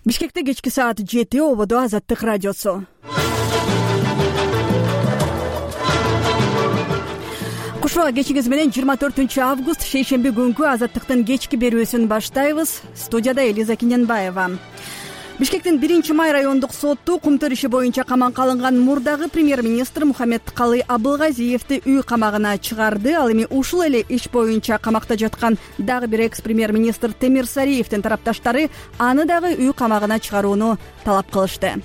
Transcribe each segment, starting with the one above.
Бишкекте кечки саат 7 ободо Азаттык радиосу. Кушуа кечиңиз менен 24 август шейшемби күнгү Азаттыктын кечки берүүсүн баштайбыз. Студияда Элиза Киненбаева. Бишкектин 1-май райондук сотту кумтөр иши боюнча камакка алынган мурдагы премьер-министр Мухаммедкалый Абылгазиевди үй камагына чыгарды. Ал эми ушул эле иш боюнча камакта жаткан дагы бир экс-премьер-министр Темир Сариевдин тарапташтары аны дагы үй камагына чыгарууну талап кылышты.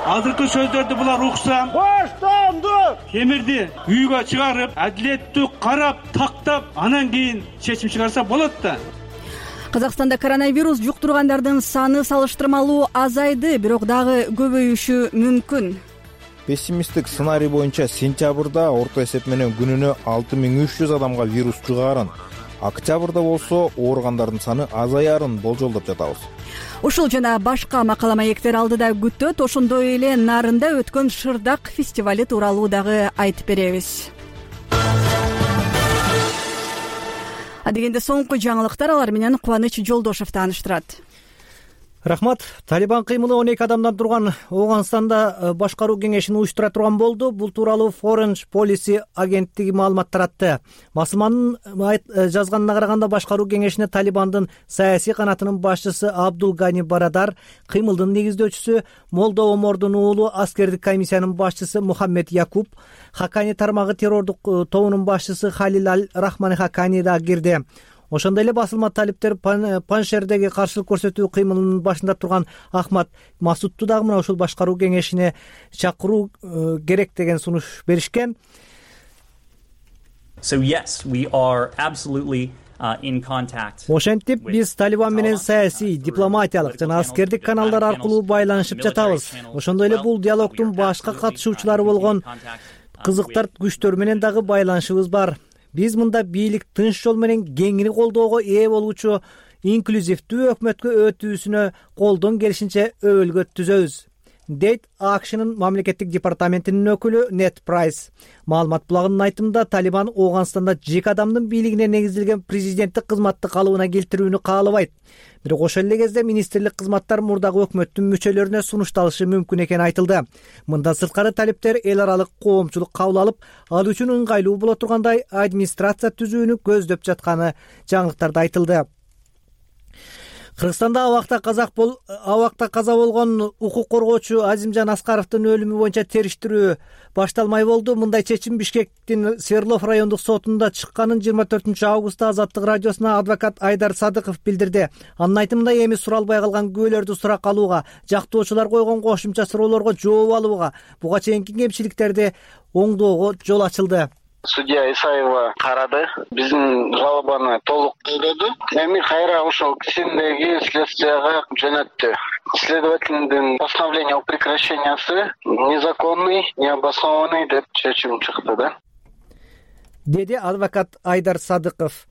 Азыркы сөздөрдү булар укса, баштанды Темирди үйгө чыгарып, адилеттүү карап, тактап, анан кийин чечим чыгарса болот да. Казакстанда коронавирус жуктургандардын саны салыштырмалуу азайды, бирок дагы көбөйүшү мүмкүн. Пессимисттик сценарий боюнча сентябрда орто эсеп менен күнүнө 6300 адамга вирус жугаарын, октябрда болсо ооругандардын саны азаярын болжолдоп жатабыз. Ушул жана башка макала маектер алдыда күтөт. Ошондой эле Нарында өткөн Шырдак фестивали тууралуу дагы айтып беребиз. Адегенде соңку жаңылыктар, алар менен Кубаныч Жолдошев тааныштырат. Рахмат. Талибан кыймылы 12 адамдан турган Ооганстанда башкаруу кеңешин уюштура турган болду. Бул тууралуу Foreign Policy агенттиги маалымат таратты. Басылманын жазганына караганда башкаруу кеңешине Талибандын саясий канатынын башчысы Абдул Гани Барадар, кыймылдын негиздөөчүсү Молдо Омордун уулу аскердик комиссиянын башчысы Мухаммед Якуб, Хакани тармагы террордук тобунун башчысы Халил Аль-Рахмани Хакани да кирди. Ошондой эле басылма талиптер Паншердеги каршылык көрсөтүү кыймылынын башында турган Ахмад Масудту дагы мына ушул башкаруу кеңешине чакыруу керек деген сунуш беришкен. Ошентип биз Талибан менен саясий, дипломатиялык жана аскердик каналдар аркылуу байланышып жатабыз. Ошондой эле бул диалогдун башка катышуучулары болгон кызыктар күчтөр менен дагы байланышыбыз бар. Биз мында бийлик тынч жол менен кеңири колдоого ээ болуучу инклюзивдүү өкмөткө өтүүсүнө колдон келишинче өбөлгө түзөбүз, дейт АКШнын мамлекеттик департаментинин өкүлү Нет Прайс. Маалымат булагынын айтымында Талибан Ооганстанда жеке адамдын бийлигине негизделген президенттик кызматты калыбына келтирүүнү каалабайт. Бирок ошол эле кезде министрлик кызматтар мурдагы өкмөттүн мүчөлөрүнө сунушталышы мүмкүн экени айтылды. Мындан сырткары талиптер эл аралык коомчулук кабыл алып, ал үчүн ыңгайлуу боло тургандай администрация түзүүнү көздөп жатканы жаңылыктарда айтылды. Кыргызстанда абакта каза болгон укук коргоочу Азимжан Аскаровдун өлүмү боюнча териштирүү башталмай болду. Мындай чечим Бишкектин Свердлов райондук сотунда чыкканын 24 августта Азаттык радиосуна адвокат Айдар Садыков билдирди. Анын айтымында эми суралбай калган күбөлөрдү сурак алууга, жактоочулар койгон кошумча суроолорго жооп алууга, буга чейинки кемчиликтерди оңдоого жол ачылды. Судья Исаева карады, биздин жалобаны толук колдоду. Эми кайра ошол кишиндеги следствияга жөнөттү. Следовательдин постановление о прекращениясы незаконный, необоснованный деп чечим чыкты да, деди адвокат Айдар Садыков.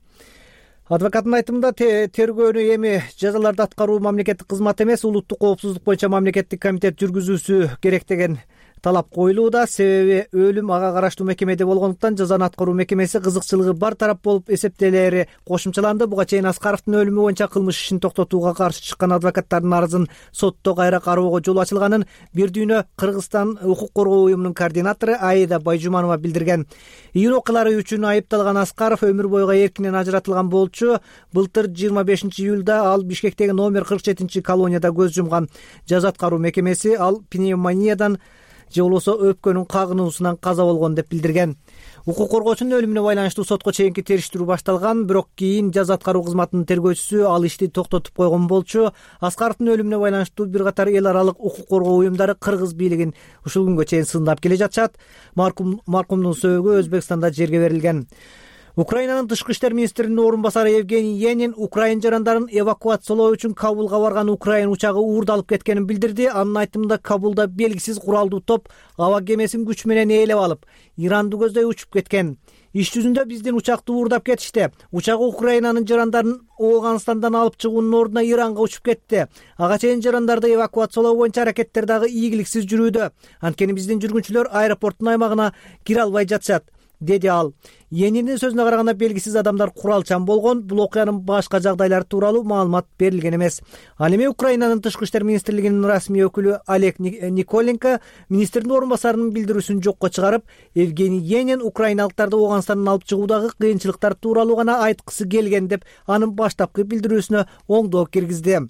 Адвокаттын айтымында тергөөнү эми жазаларды аткаруу мамлекеттик кызмат эмес, улуттук коопсуздук боюнча мамлекеттик комитет жүргүзүүсү керек деген талап коюлууда. Себеби өлүм ага караштуу мекемеде болгондуктан жазаны аткаруу мекемеси кызыкчылыгы бар тарап болуп эсептелери кошумчаланды. Буга чейин Аскаровдун өлүмү боюнча кылмыш ишин токтотууга каршы чыккан адвокаттардын арызын сотто кайра кароого жол ачылганын бир дүйнө Кыргызстан укук коргоо уюмунун координатору Аида Байжуманова билдирген. Июнь окуялары үчүн айыпталган Аскаров өмүр бойго эркинен ажыратылган болчу. Былтыр 25 июлда ал Бишкектеги номер 47 колонияда көз жумган. Жаза аткаруу мекемеси ал пневмониядан же болбосо өпкөнүн кагынуусунан каза болгон деп билдирген. Укук коргоочунун өлүмүнө байланыштуу сотко чейинки териштирүү башталган, бирок кийин жаза аткаруу кызматынын тергөөчүсү ал ишти токтотуп койгон болчу. Аскаровдун өлүмүнө байланыштуу бир катар эл аралык укук коргоо уюмдары кыргыз бийлигин ушул күнгө чейин сындап келе жатышат. Маркумдун сөөгү Өзбекстанда жерге берилген. Украинанын тышкы иштер министринин орун басары Евгений Енин украин жарандарын эвакуациялоо үчүн Кабулга барган украин учагы уурдалып кеткенин билдирди. Анын айтымында Кабулда белгисиз куралдуу топ аба кемесин күч менен ээлеп алып, Иранды көздөй учуп кеткен. Иш жүзүндө биздин учакты уурдап кетишти. Учагы Украинанын жарандарын Ооганстандан алып чыгуунун ордуна Иранга учуп кетти. Ага чейин жарандарды эвакуациялоо боюнча аракеттер дагы ийгиликсиз жүрүүдө. Анткени биздин жүргүнчүлөр аэропорттун аймагына кире албай жатышат. деди ал. Енинин сөзүнө караганда белгисиз адамдар куралчан болгон. Бул окуянын башка жагдайлары тууралуу маалымат берилген эмес. Ал эми Украинанын тышкы иштер министрлигинин расмий өкүлү Олег Николенко министрдин орун басарынын билдирүүсүн жокко чыгарып, Евгений Енин украиналыктарды Ооганстандан алып чыгуудагы кыйынчылыктар тууралуу гана айткысы келген деп анын баштапкы билдирүүсүнө оңдоо киргизди.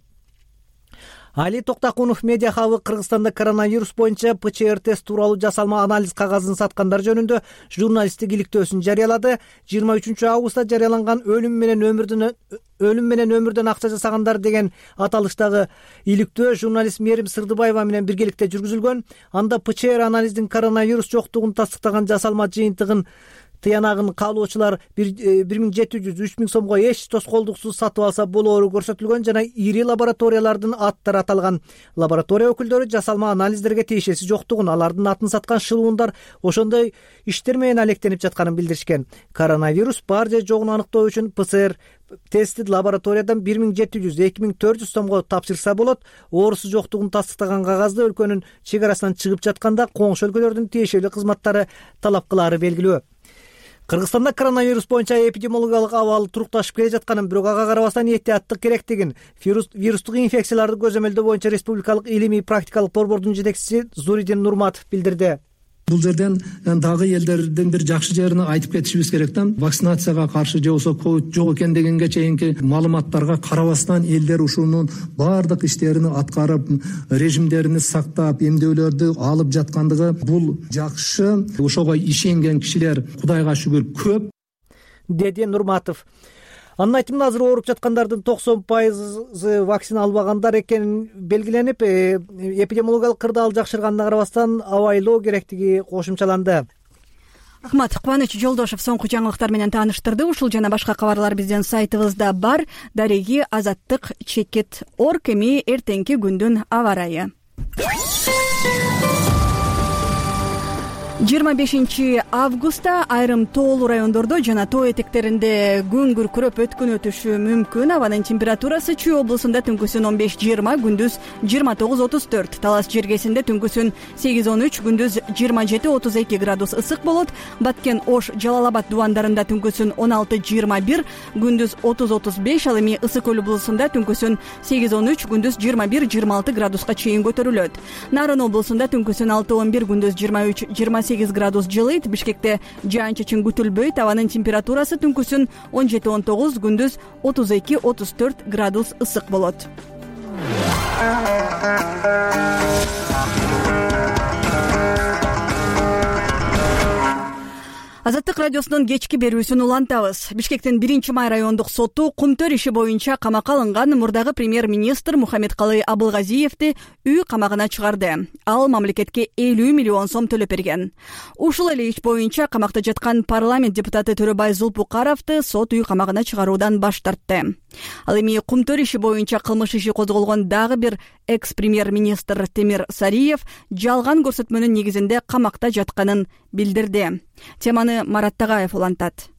Али Токтакунов медиа хабы Кыргызстанда коронавирус боюнча ПЧР тест тууралуу жасалма анализ кагазын саткандар жөнүндө журналисттик иликтөөсүн жарыялады. 23 августта жарыяланган өлүм менен өмүрдөн акча жасагандар деген аталыштагы иликтөө журналист Мерим Сырдыбаева менен биргеликте жүргүзүлгөн. Анда ПЧР анализдин коронавирус жоктугун тастыктаган жасалма жыйынтыгын тыянагын каалоочулар 1700-3000 сомго эч тоскоолдуксуз сатып алса болоору көрсөтүлгөн жана ири лабораториялардын аттары аталган. Лаборатория өкүлдөрү жасалма анализдерге тиешеси жоктугун, алардын атын саткан шылуундар ошондой иштер менен алектенип жатканын билдиришкен. Коронавирус бар же жогун аныктоо үчүн ПЦР тести лабораториядан 1700-2400 сомго тапшырса болот. Оорусу жоктугун тастыктаган кагазды өлкөнүн чек арасынан чыгып жатканда коңшу өлкөлөрдүн тиешелүү кызматтары талап кылаары белгилүү. Кыргызстанда коронавирус боюнча эпидемиологиялык абал турукташып келе жатканын, бирок ага карабастан эhtiyаттык керектигин вирустук инфекцияларды көзөмөлдөө боюнча республикалык илимий практикалык борбордун жетекчиси Зуридин Нурматов билдирди. Бул жерден дагы элдердин бир жакшы жерин айтып кетишибиз керек да. Вакцинацияга каршы же болбосо ковид жок экен дегенге чейинки маалыматтарга карабастан элдер ушунун баардык иштерин аткарып, режимдерин сактап, эмдөөлөрдү алып жаткандыгы бул жакшы. Ошого ишенген кишилер Кудайга шүгүр көп, деди Нурматов. Анын айтымында азыр ооруп жаткандардын 90% вакцина албагандар экенин белгиленип, эпидемиологиялык кырдаал жакшырганына карабастан абайлоо керектиги кошумчаланды. Рахмат. Кубаныч Жолдошев соңку жаңылыктар менен тааныштырды. Ушул жана башка кабарлар биздин сайтыбызда бар. Дареги Азаттык Чекит.org. Эми эртеңки күндүн аба ырайы. 25 августта айрым тоолуу райондордо жана тоо этектеринде күн күркүрөп өткөн өтүшү мүмкүн. Абанын температурасы Чүй облусунда түнкүсүн 15-20, күндүз 29-34, Талас жергесинде түнкүсүн 8-13, күндүз 27-32 градус ысык болот. Баткен, Ош, Жалал Абад дубандарында түнкүсүн 16-21, күндүз 30-35, ал эми Ысык Көл облусунда түнкүсүн 8-13, күндүз 21-26 градуска чейин көтөрүлөт. Нарын облусунда түнкүсүн 6-11, күндүз 23-28 градус жылыйт. Бишкекте жаан-чачын күтүлбөйт. Абанын температурасы түнкүсүн 17-19, күндүз 32-34 градус ысык болот. Азаттык радиосунун кечки берүүсүн улантабыз. Бишкектин 1-май райондук соту Кумтөр иши боюнча камакка алынган мурдагы премьер-министр Мухаммедкалый Абылгазиевди үй камагына чыгарды. Ал мамлекетке 50 миллион сом төлөп берген. Ушул эле иш боюнча камакта жаткан парламент депутаты Төрөбай Зулпукаровду сот үй камагына чыгаруудан баш тартты. Ал эми Кумтөр иши боюнча кылмыш иши козголгон дагы бир экс-премьер-министр Темир Сариев жалган көрсөтмөнүн негизинде камакта жатканын билдирди. Теманы Марат Тагаев улантат.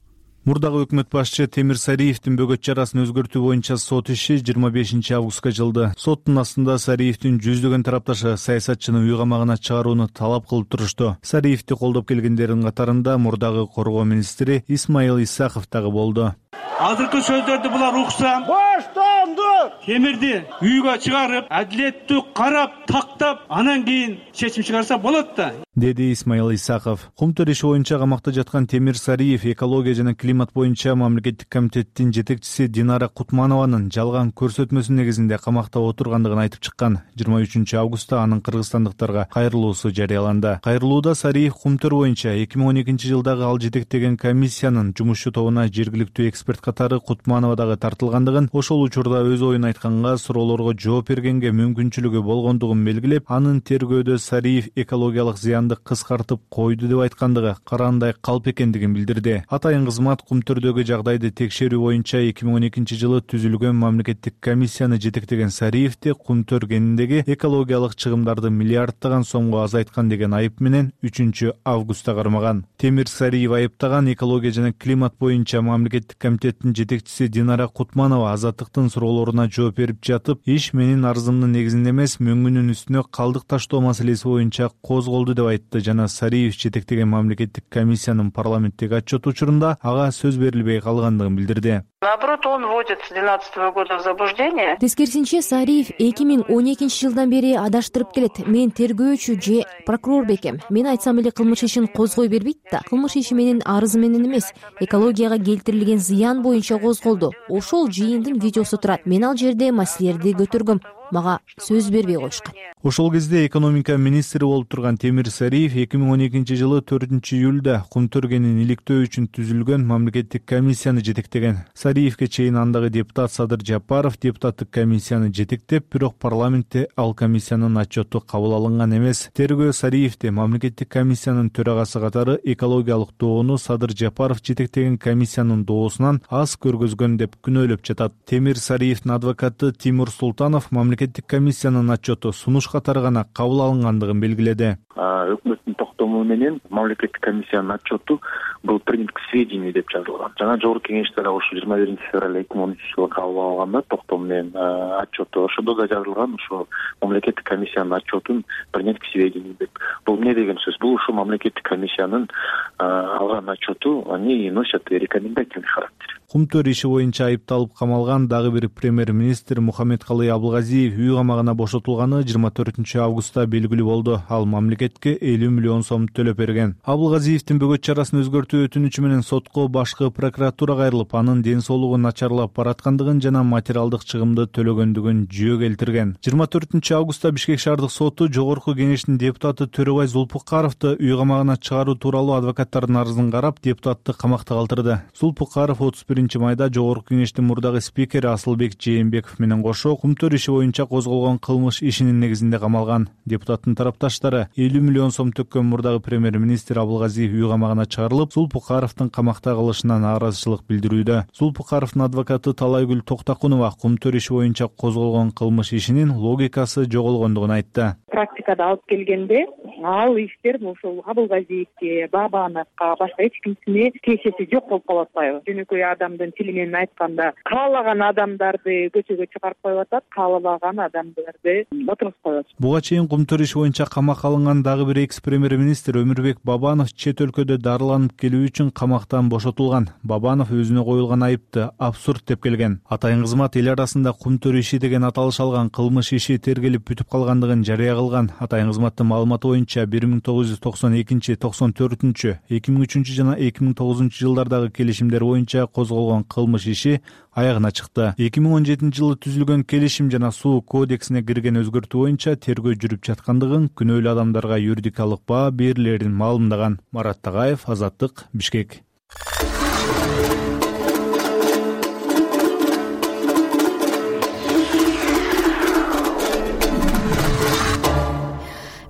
Мурдагы өкмөт башчы Темир Сариевдин бөгөт чарасын өзгөртүү боюнча сот иши 25 августка жылды. Соттун астында Сариевдин жүздөгөн тарапташы саясатчыны үй камагына чыгарууну талап кылып турушту. Сариевди колдоп келгендердин катарында мурдагы коргоо министри Исмаил Исаков дагы болду. Азыркы сөздөрдү булар уксам, баштанды Темирди үйгө чыгарып, адилеттүү карап, тактап, анан кийин чечим чыгарса болот да, деди Исмаил Исаков. Кумтөр иши боюнча камакта жаткан Темир Сариев экология жана климат боюнча мамлекеттик комитеттин жетекчиси Динара Кутманованын жалган көрсөтмөсүнүн негизинде камакта отургандыгын айтып чыккан. 23 августта анын кыргызстандыктарга кайрылуусу жарыяланды. Кайрылууда Сариев Кумтөр боюнча 2012 жылдагы ал жетектеген комиссиянын жумушчу тобуна жергиликтүү эксперт катары Кутманова дагы тартылгандыгын, ошол учурда өз оюн айтканга, суроолорго жооп бергенге мүмкүнчүлүгү болгондугун белгилеп, анын тергөөдө Сариев экологиялык зыянды кыскартып койду деп айткандыгы караандай калп экендигин билдирди. Атайын кызмат Кумтөрдөгү жагдайды текшерүү боюнча 2012 жылы түзүлгөн мамлекеттик комиссияны жетектеген Сариевди Кумтөр кениндеги экологиялык чыгымдарды миллиарддаган сомго азайткан деген айып менен 3 августта кармаган. Темир Сариев айыптаган экология жана климат боюнча мамлекеттик комитеттин жетекчиси Динара Кутманова Азаттыктын суроолоруна суроолоруна жооп берип жатып, иш менин арызымдын негизинде эмес, мөңгүнүн үстүнө калдык таштоо маселеси боюнча козголду деп айтты жана Сариев жетектеген мамлекеттик комиссиянын парламенттеги отчет учурунда ага сөз берилбей калгандыгын билдирди. Наоборот, он вводит с 2012 года в заблуждение. Тескерисинче, Сариев 2012 жылдан бери адаштырып келет. Мен тергөөчү же прокурор бекем. Мен айтсам эле кылмыш ишин козгой бербейт да. Кылмыш иши менин арызы менен эмес, экологияга келтирилген зыян боюнча козголду. Ошол жыйындын видеосу турат. Мен ал жерде маселелерди көтөргөм. Мага сөз бербей коюшкан. Ошол кезде экономика министри болуп турган Темир Сариев 2012 жылы 4-июлда Кумтөргенин иликтөө үчүн түзүлгөн мамлекеттик комиссияны жетектеген. Сариевке чейин андагы депутат Садыр Жапаров депутаттык комиссияны жетектеп, бирок парламентте ал комиссиянын отчету кабыл алынган эмес. Тергөө Сариевди мамлекеттик комиссиянын төрагасы катары экологиялык доону Садыр Жапаров жетектеген комиссиянын доосунан аз көргөзгөн деп күнөөлөп жатат. Темир Сариевдин адвокаты Тимур Султанов мамлекеттик комиссиянын отчету сунуш катары гана кабыл алынгандыгын белгиледи. Өкмөттүн токтому менен мамлекеттик комиссиянын отчету был принят к сведению деп жазылган. Жана жогорку кеңеште ушу 21 февраль 2013 жылы кабыл алганда токтому менен отчету ошондо да жазылган, ушу мамлекеттик комиссиянын отчетун принять к сведению деп. Бул эмне деген сөз? Бул ушу мамлекеттик комиссиянын алган отчету, они носят рекомендательный характер. Кумтөр иши боюнча айыпталып камалган дагы бир премьер-министр Мухаммедкалый Абылгазиев үй камагына бошотулганы 24 августта белгилүү болду. Ал мамлекетке 50 миллион сом төлөп берген. Абылгазиевдин бөгөт чарасын өзгөртүү өтүнүчү менен сотко башкы прокуратура кайрылып, анын ден соолугу начарлап бараткандыгын жана материалдык чыгымды төлөгөндүгүн жүйө келтирген. 24 августта Бишкек шаардык соту жогорку кеңештин депутаты Төрөбай Зулпукаровду үй камагына чыгаруу тууралуу адвокаттардын арызын карап, депутатты камакта калтырды. Зулпукаров 31 майда жогорку кеңештин мурдагы спикери Асылбек Жээнбеков менен кошо Кумтөр иши боюнча козголгон кылмыш ишинин негизинде камалган. Депутаттын тарапташтары 50 миллион сом төккөн мурдагы премьер-министр Абылгазиев үй камагына чыгарылып, Зулпукаровдун камакта калышына нааразычылык билдирүүдө. Зулпукаровдун адвокаты Талайгүл Токтакунова Кумтөр иши боюнча козголгон кылмыш ишинин логикасы жоголгондугун айтты. Практикада алып келгенде ал иштер ушул Абылгазиевке, Бабановго, башка эч кимсине тиешеси жок болуп калып атпайбы? Жөнөкөй адамдын тили менен айтканда, каалаган адамдарды көчөгө чыгарып коюп атат, каалаган адамдарды отургузуп коет. Буга чейин Кумтөр иши боюнча камакка алынган дагы бир экс-премьер-министр Өмүрбек Бабанов чет өлкөдө дарыланып келүү үчүн камактан бошотулган. Бабанов өзүнө коюлган айыпты абсурд деп келген. Атайын кызмат эл арасында Кумтөр иши деген аталыш алган кылмыш иши тергелип бүтүп калгандыгын жарыя кылган. Атайын кызматтын маалыматы боюнча 1992, 94, 2003 жана 2009 жылдардагы келишимдер боюнча козголгон кылмыш иши аягына чыкты. 2017 жылы түзүлгөн келишим жана суу кодексине кирген өзгөртүү боюнча тергөө жүрүп жаткандыгын, күнөөлүү адамдарга юридикалык баа берилерин маалымдаган. Марат Тагаев, Азаттык, Бишкек.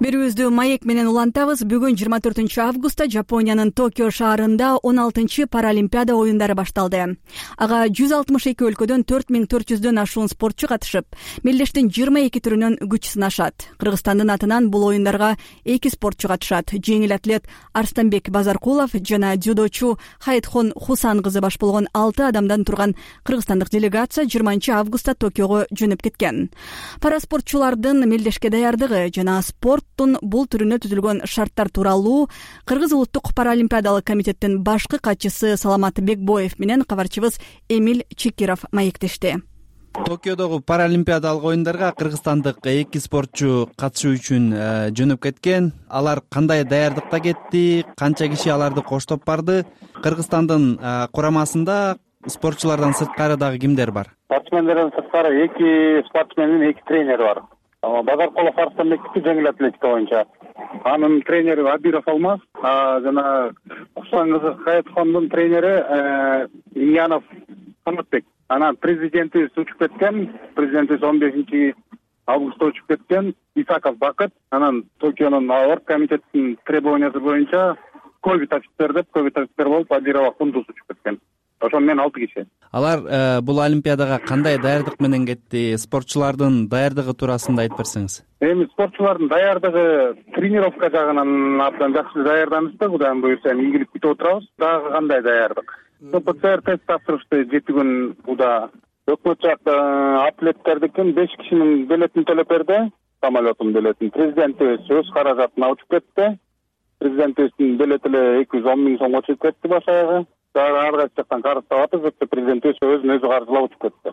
Берүүбүздү маек менен улантабыз. Бүгүн 24 августта Жапониянын Токио шаарында 16 Паралимпиада оюндары башталды. Ага 162 өлкөдөн 4400дөн ашуун спортчу катышып, мелдештин 22 түрүнөн күч сынашат. Кыргызстандын атынан бул оюндарга 2 спортчу катышат. Жеңил атлет Арстанбек Базаркулов жана дзюдочу Хайтхон Хусан кызы баш болгон 6 адамдан турган кыргызстандык делегация 20 августта Токиого жөнөп кеткен. Параспортчулардын мелдешке даярдыгы жана спорт бул түрүнө түзүлгөн шарттар тууралуу Кыргыз улуттук паралимпиадалык комитеттин башкы катчысы Саламат Бекбоев менен кабарчыбыз Эмиль Чекиров маектешти. Токиодогу паралимпиадалык оюндарга кыргызстандык 2 спортчу катышуу үчүн жөнөп кеткен. Алар кандай даярдыкта кетти, канча киши аларды коштоп барды? Кыргызстандын курамасында спортчулардан сырткары дагы кимдер бар? Спортсмендерден сырткары 2 спортсмен менен 2 тренер бар. Базаркулов Арстанбектики жеңил атлетика боюнча. Анын тренери Абиров Алмаз, жана Хусан кызы Хайтхондун тренери Ильянов Канатбек. Анан президентибиз учуп кеткен, президентибиз 15 августта учуп кеткен, Исаков Бакыт. Анан Токионун орг комитеттин требованиясы боюнча ковид офицер болуп Абирова Кундуз учуп кеткен. Ошон менен 6 киши. Алар бул олимпиадага кандай даярдык менен кетти? Спортчулардын даярдыгы туурасында айтып берсеңиз. Эми спортчулардын даярдыгы тренировка жагынан абдан жакшы даярданышты. Кудайым буюрса ийгилик күтүп отурабыз. Дагы кандай даярдык? ПЦР тест тапшырышты 7 күн уда өкмөт жак атлеттердикин 5 кишинин билетин төлөп берди, самолеттун билетин. Президентибиз өз каражатына учуп кетти. Президентибиздин билети эле 210 миң сомго чыгып кетти башагы. Ар кайсы жактан карыздап атып, президентибиз өзүн өзү каржылап учуп кетти.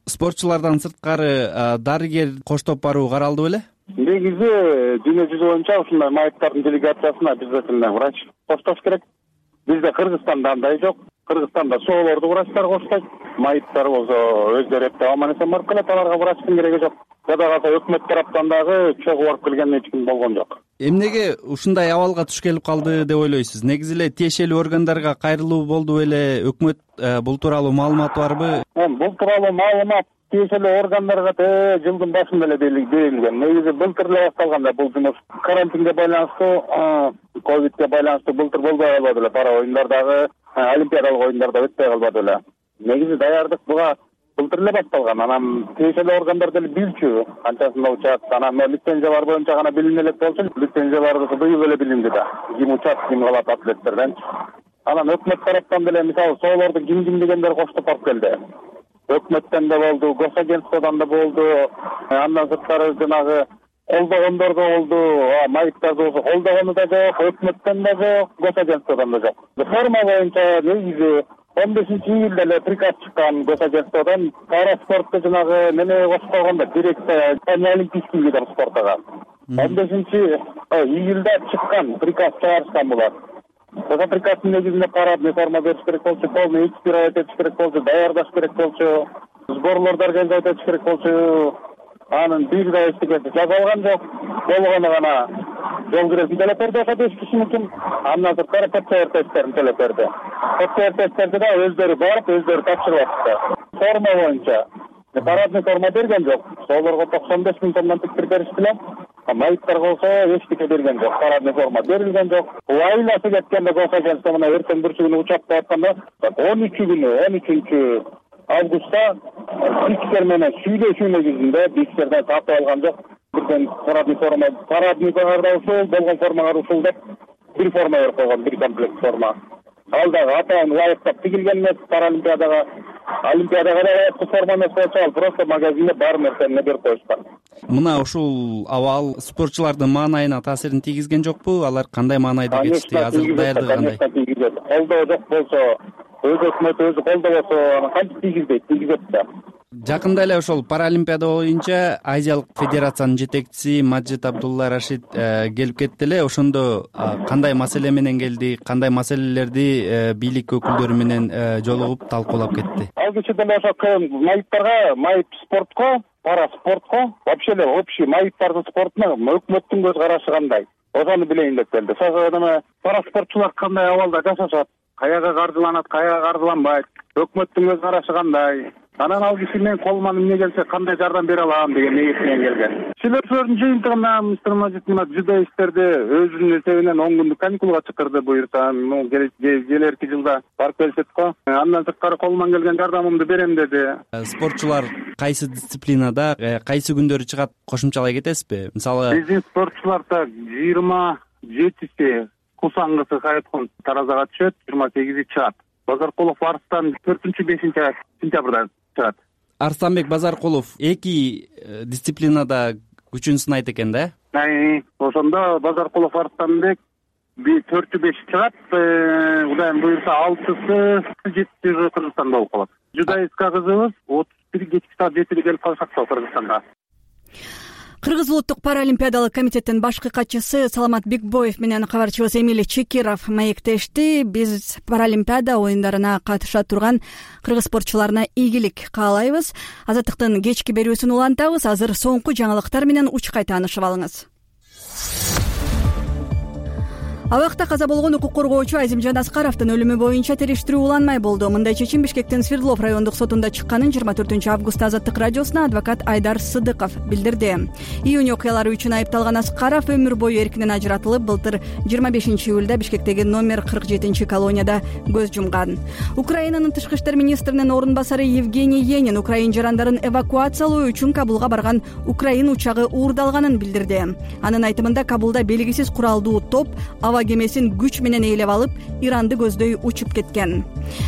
Спортчулардан сырткары дарыгер коштоп баруу каралды беле? Негизи дүйнө жүзү боюнча ушундай майыптардын делегациясына обязательно врач коштош керек. Бизде Кыргызстанда андай жок. Кыргызстанда соолорду врачтар коштойт. Майыптар болсо өздөрү эптеп аман-эсен барып келет, аларга врачтын кереги жок. Жада калса өкмөт тараптан дагы чогуу барып келген эч ким болгон жок. Эмнеге ушундай абалга туш келип калды деп ойлойсуз? Негизи эле тиешелүү органдарга кайрылуу болду беле? Өкмөт бул тууралуу маалыматы барбы? Бул тууралуу маалымат тиешелүү органдарга жылдын башында эле берилген. Негизи былтыр эле башталганда бул жумуш карантинге байланыштуу, ковидке байланыштуу былтыр болбой калбады эле. Пара оюндардагы, олимпиадалык оюндарда өтпөй калбады эле. Негизи даярдык буга былтыр эле башталган. Анан тиешелүү органдар деле билчү канчасында учат. Анан лицензиялар боюнча гана билине элек болчу. Лицензияларды быйыл эле билинди да. Ким учат, ким калат атлеттерден. Анан өкмөт тараптан деле мисалы соолорду ким дегендер коштоп барып келди. Өкмөттөн да болду, госагентстводон да болду. Андан сырткары жанагы колдогондор да болду. Майыптарды болсо колдогону да жок, өкмөттөн да жок, госагентстводон да жок. Форма боюнча негизи 15-июлда эле приказ чыккан госагентстводон пара спортко жанагы неме кошуп койгондо, дирекция олимпийский видов спортага. 15-июлда чыккан приказ чыгарышкан булар. Ошо приказдын негизинде парадный форма бериш керек болчу, полный экипировать этиш керек болчу, даярдаш керек болчу, сборлорду организовать этиш керек болчу. Анын бир да эчтекеси жазылган жок. Болгону гана жол киресин төлөп берди ошо 5 кишиники. Андан сырткары ПЦР тесттерин төлөп берди. ПЦР тесттерди да өздөрү барып, өздөрү тапшырып атышты. Форма боюнча парадный форма берген жок. Солорго 95 миң сомдон тиктирип беришти эле. Майыптарга болсо эчтеке берген жок, парадный форма берилген жок. Айласы кеткенде госагентство мына эртең бүрсү күнү учап атканда 13 августта биксер менен сүйлөшүү негизинде биксерден тартып алган жок. Бирден парадный формага ушул, болгон формага ушул деп бир форма берип койгон, бир комплект форма. Ал дагы атайын лайыктап тигилген эмес, паралимпиадага лайыктуу форма эмес болчу, ал просто магазинде бар нерсени берип коюшкан. Мына ушул абал спортчулардын маанайына таасирин тийгизген жокпу? Алар кандай маанайда кетишти? Азыр даярдыгы кандай? Колдоо жок болсо, өз өкмөт өзү колдобосо кантип тийгизет да. Жакында эле ошол паралимпиада боюнча Азиялык федерациянын жетекчиси Маджид Абдулла Рашид келип кетти эле. Ошондо кандай маселе менен келди, кандай маселелерди бийлик өкүлдөрү менен жолугуп талкуулап кетти? Ал киши деле ошо майыптарга, майып спортко, пара спортко, вообще эле общий майыптардын спортуна өкмөттүн көз карашы кандай? Ошону билейин деп келди. Ошо пара спортчулар кандай абалда жашашат? Каяга каржыланат, каяга каржыланбайт? Өкмөттүн көз карашы кандай? Анан ал киши мен колуман эмне келсе кандай жардам бере алам деген ниет менен келген. Сүйлөшүүлөрдүн жыйынтыгында мистер Маджид мына жудоисттерди өзүнүн эсебинен 10 күндүк каникулга чакырды, буюрса, келерки жылда барып келишет го. Андан сырткары колуман келген жардамымды берем деди. Спортчулар кайсы дисциплинада, кайсы күндөрү чыгат, кошумчалай кетесизби? Мисалы, биздин спортчуларда 27-си Кусангысы Хайткон Таразага түшөт, 28-и чыгат. Базаркулов Арстан 4-5 сентябрда чыгат. Арстанбек Базаркулов эки дисциплинада күчүн сынайт экен да? Ошондо Базаркулов Арстанбек 4-5 чыгат, Кудайым буюрса 6-сы 7-си Кыргызстанда болуп калат. Жудоистка кызыбыз 31 кечки саат 7-де келип калышат Кыргызстанга. Кыргыз улуттук паралимпиадалык комитеттин башкы катчысы Саламат Бекбоев менен кабарчыбыз Эмиль Чекиров маектешти. Биз паралимпиада оюндарына катыша турган кыргыз спортчуларына ийгилик каалайбыз. Азаттыктын кечки берүүсүн улантабыз. Азыр соңку жаңылыктар менен учкай таанышып алыңыз. Абакта каза болгон укук коргоочу Азимжан Аскаровдун өлүмү боюнча териштирүү уланмай болду. Мындай чечим Бишкектин Свердлов райондук сотунда чыкканын 24-августта Азаттык радиосуна адвокат Айдар Сыдыков билдирди. Июнь окуялары үчүн айыпталган Аскаров өмүр бою эркинен ажыратылып, былтыр 25-июлда Бишкектеги номер 47-колонияда көз жумган. Украинанын тышкы иштер министринин орун басары Евгений Енин украин жарандарын эвакуациялоо үчүн Кабулга барган украин учагы уурдалганын билдирди. Анын айтымында Кабулда белгисиз куралдуу топ аба кемесин күч менен ээлеп алып Иранды көздөй учуп кеткен.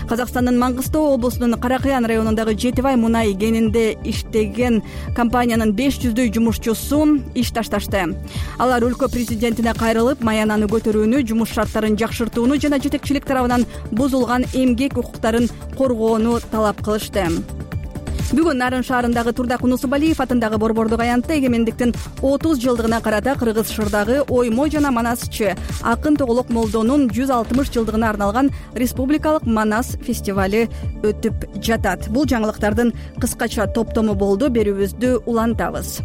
Казакстандын Маңгыстоо облусунун Каракаян районундагы Жетибай мунай кенинде иштеген компаниянын 500дөй жумушчусу иш ташташты. Алар өлкө президентине кайрылып, маянаны көтөрүүнү, жумуш шарттарын жакшыртууну жана жетекчилик тарабынан бузулган эмгек укуктарын коргоону талап кылышты. Бүгүн Нарын шаарындагы Турдак Унусубалиев атындагы Борбордук аянтта эгемендиктин 30 жылдыгына карата Кыргыз Шырдагы Оймо жана Манасчы Акын Тоголок Молдонун 160 жылдыгына арналган Республикалык Манас фестивали өтүп жатат. Бул жаңылыктардын кыскача топтому болду. Берүүбүздү улантабыз.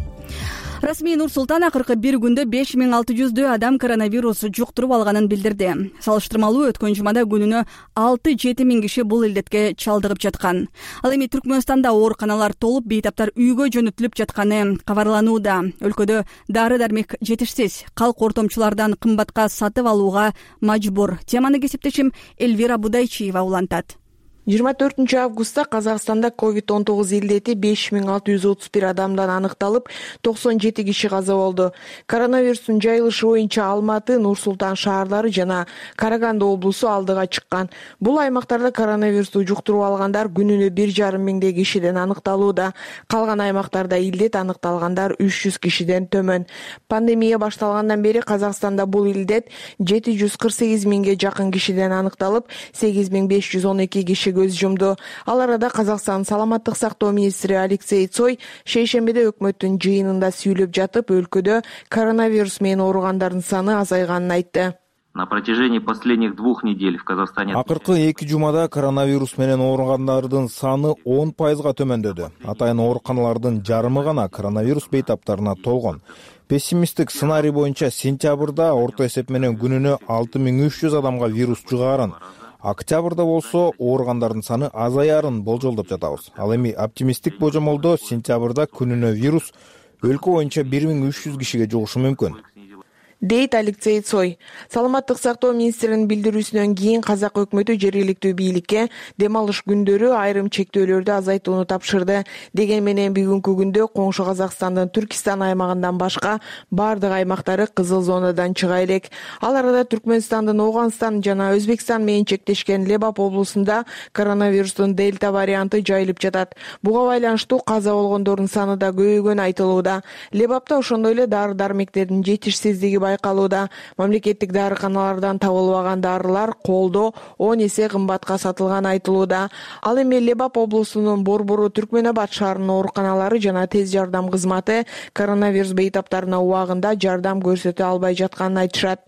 Расмий Нур-Султан акыркы бир күндө 5600 адам коронавирус жуктуруп алганын билдирди. Салыштырмалуу өткөн жумада күнүнө 6-7 миң киши бул илдетке чалдыгып жаткан. Ал эми Түркмөнстанда ооруканалар толуп, бейтаптар үйгө жөнөтүлүп жатканы кабарланууда. Өлкөдө дары-дармек жетишсиз, калк ортомчулардан кымбатка сатып алууга мажбур. Теманы кесиптешим Эльвира Будайчиева улантат. 24 августта Казакстанда COVID-19 илдети 5631 адамдан аныкталып, 97 киши каза болду. Коронавирустун жайылышы боюнча Алматы, Нур-Султан шаарлары жана Караганды облусу алдыга чыккан. Бул аймактарда коронавирусту жуктуруп алгандар күнүнө 1,5 миңдей кишиден аныкталууда. Калган аймактарда илдет аныкталгандар 300 кишиден төмөн. Пандемия башталгандан бери Казакстанда бул илдет 748 миңге жакын кишиден аныкталып, 8512 киши көз жумду. Ал арада Казакстан саламаттык сактоо министри Алексей Цой шейшембиде өкмөттүн жыйынында сүйлөп жатып, өлкөдө коронавирус менен ооругандардын саны азайганын айтты. На протяжении последних 2 недель в Казахстане акыркы 2 жумада коронавирус менен ооругандардын саны 10% төмөндөдү. Атайын ооруканалардын жарымы гана коронавирус бейтаптарына толгон. Пессимисттик сценарий боюнча сентябрда орто эсеп менен күнүнө 6300 адамга вирус жугаарын, октябрда болсо ооругандардын саны азаярын болжолдоп жатабыз. Ал эми оптимисттик божомолдо сентябрда күнүнө вирус өлкө боюнча 1300 кишиге жугушу мүмкүн, дейт Алексей Цой. Саламаттык сактоо министринин билдирүүсүнөн кийин Казак өкмөтү жергиликтүү бийликке дем алыш күндөрү айрым чектөөлөрдү азайтууну тапшырды. Деген менен бүгүнкү күндө коңшу Казакстандын Түркистан аймагынан башка бардык аймактары кызыл зонадан чыга элек. Ал арада Түркмөнстандын Оганстан жана Өзбекстан менен чектешкен Лебап облусунда коронавирустун дельта варианты жайылып жатат. Буга байланыштуу каза болгондордун саны да көбөйгөнү айтылууда. Лебапта ошондой эле дары-дармектердин жетишсиздиги байкалууда. Мамлекеттик дарыканалардан табылбаган дарылар колдо 10 эсе кымбатка сатылганы айтылууда. Ал эми Лебап облусунун Борбору Түркмөнабад шаарынын ооруканалары жана тез жардам кызматы коронавирус бейтаптарына убагында жардам көрсөтө албай жатканын айтышат.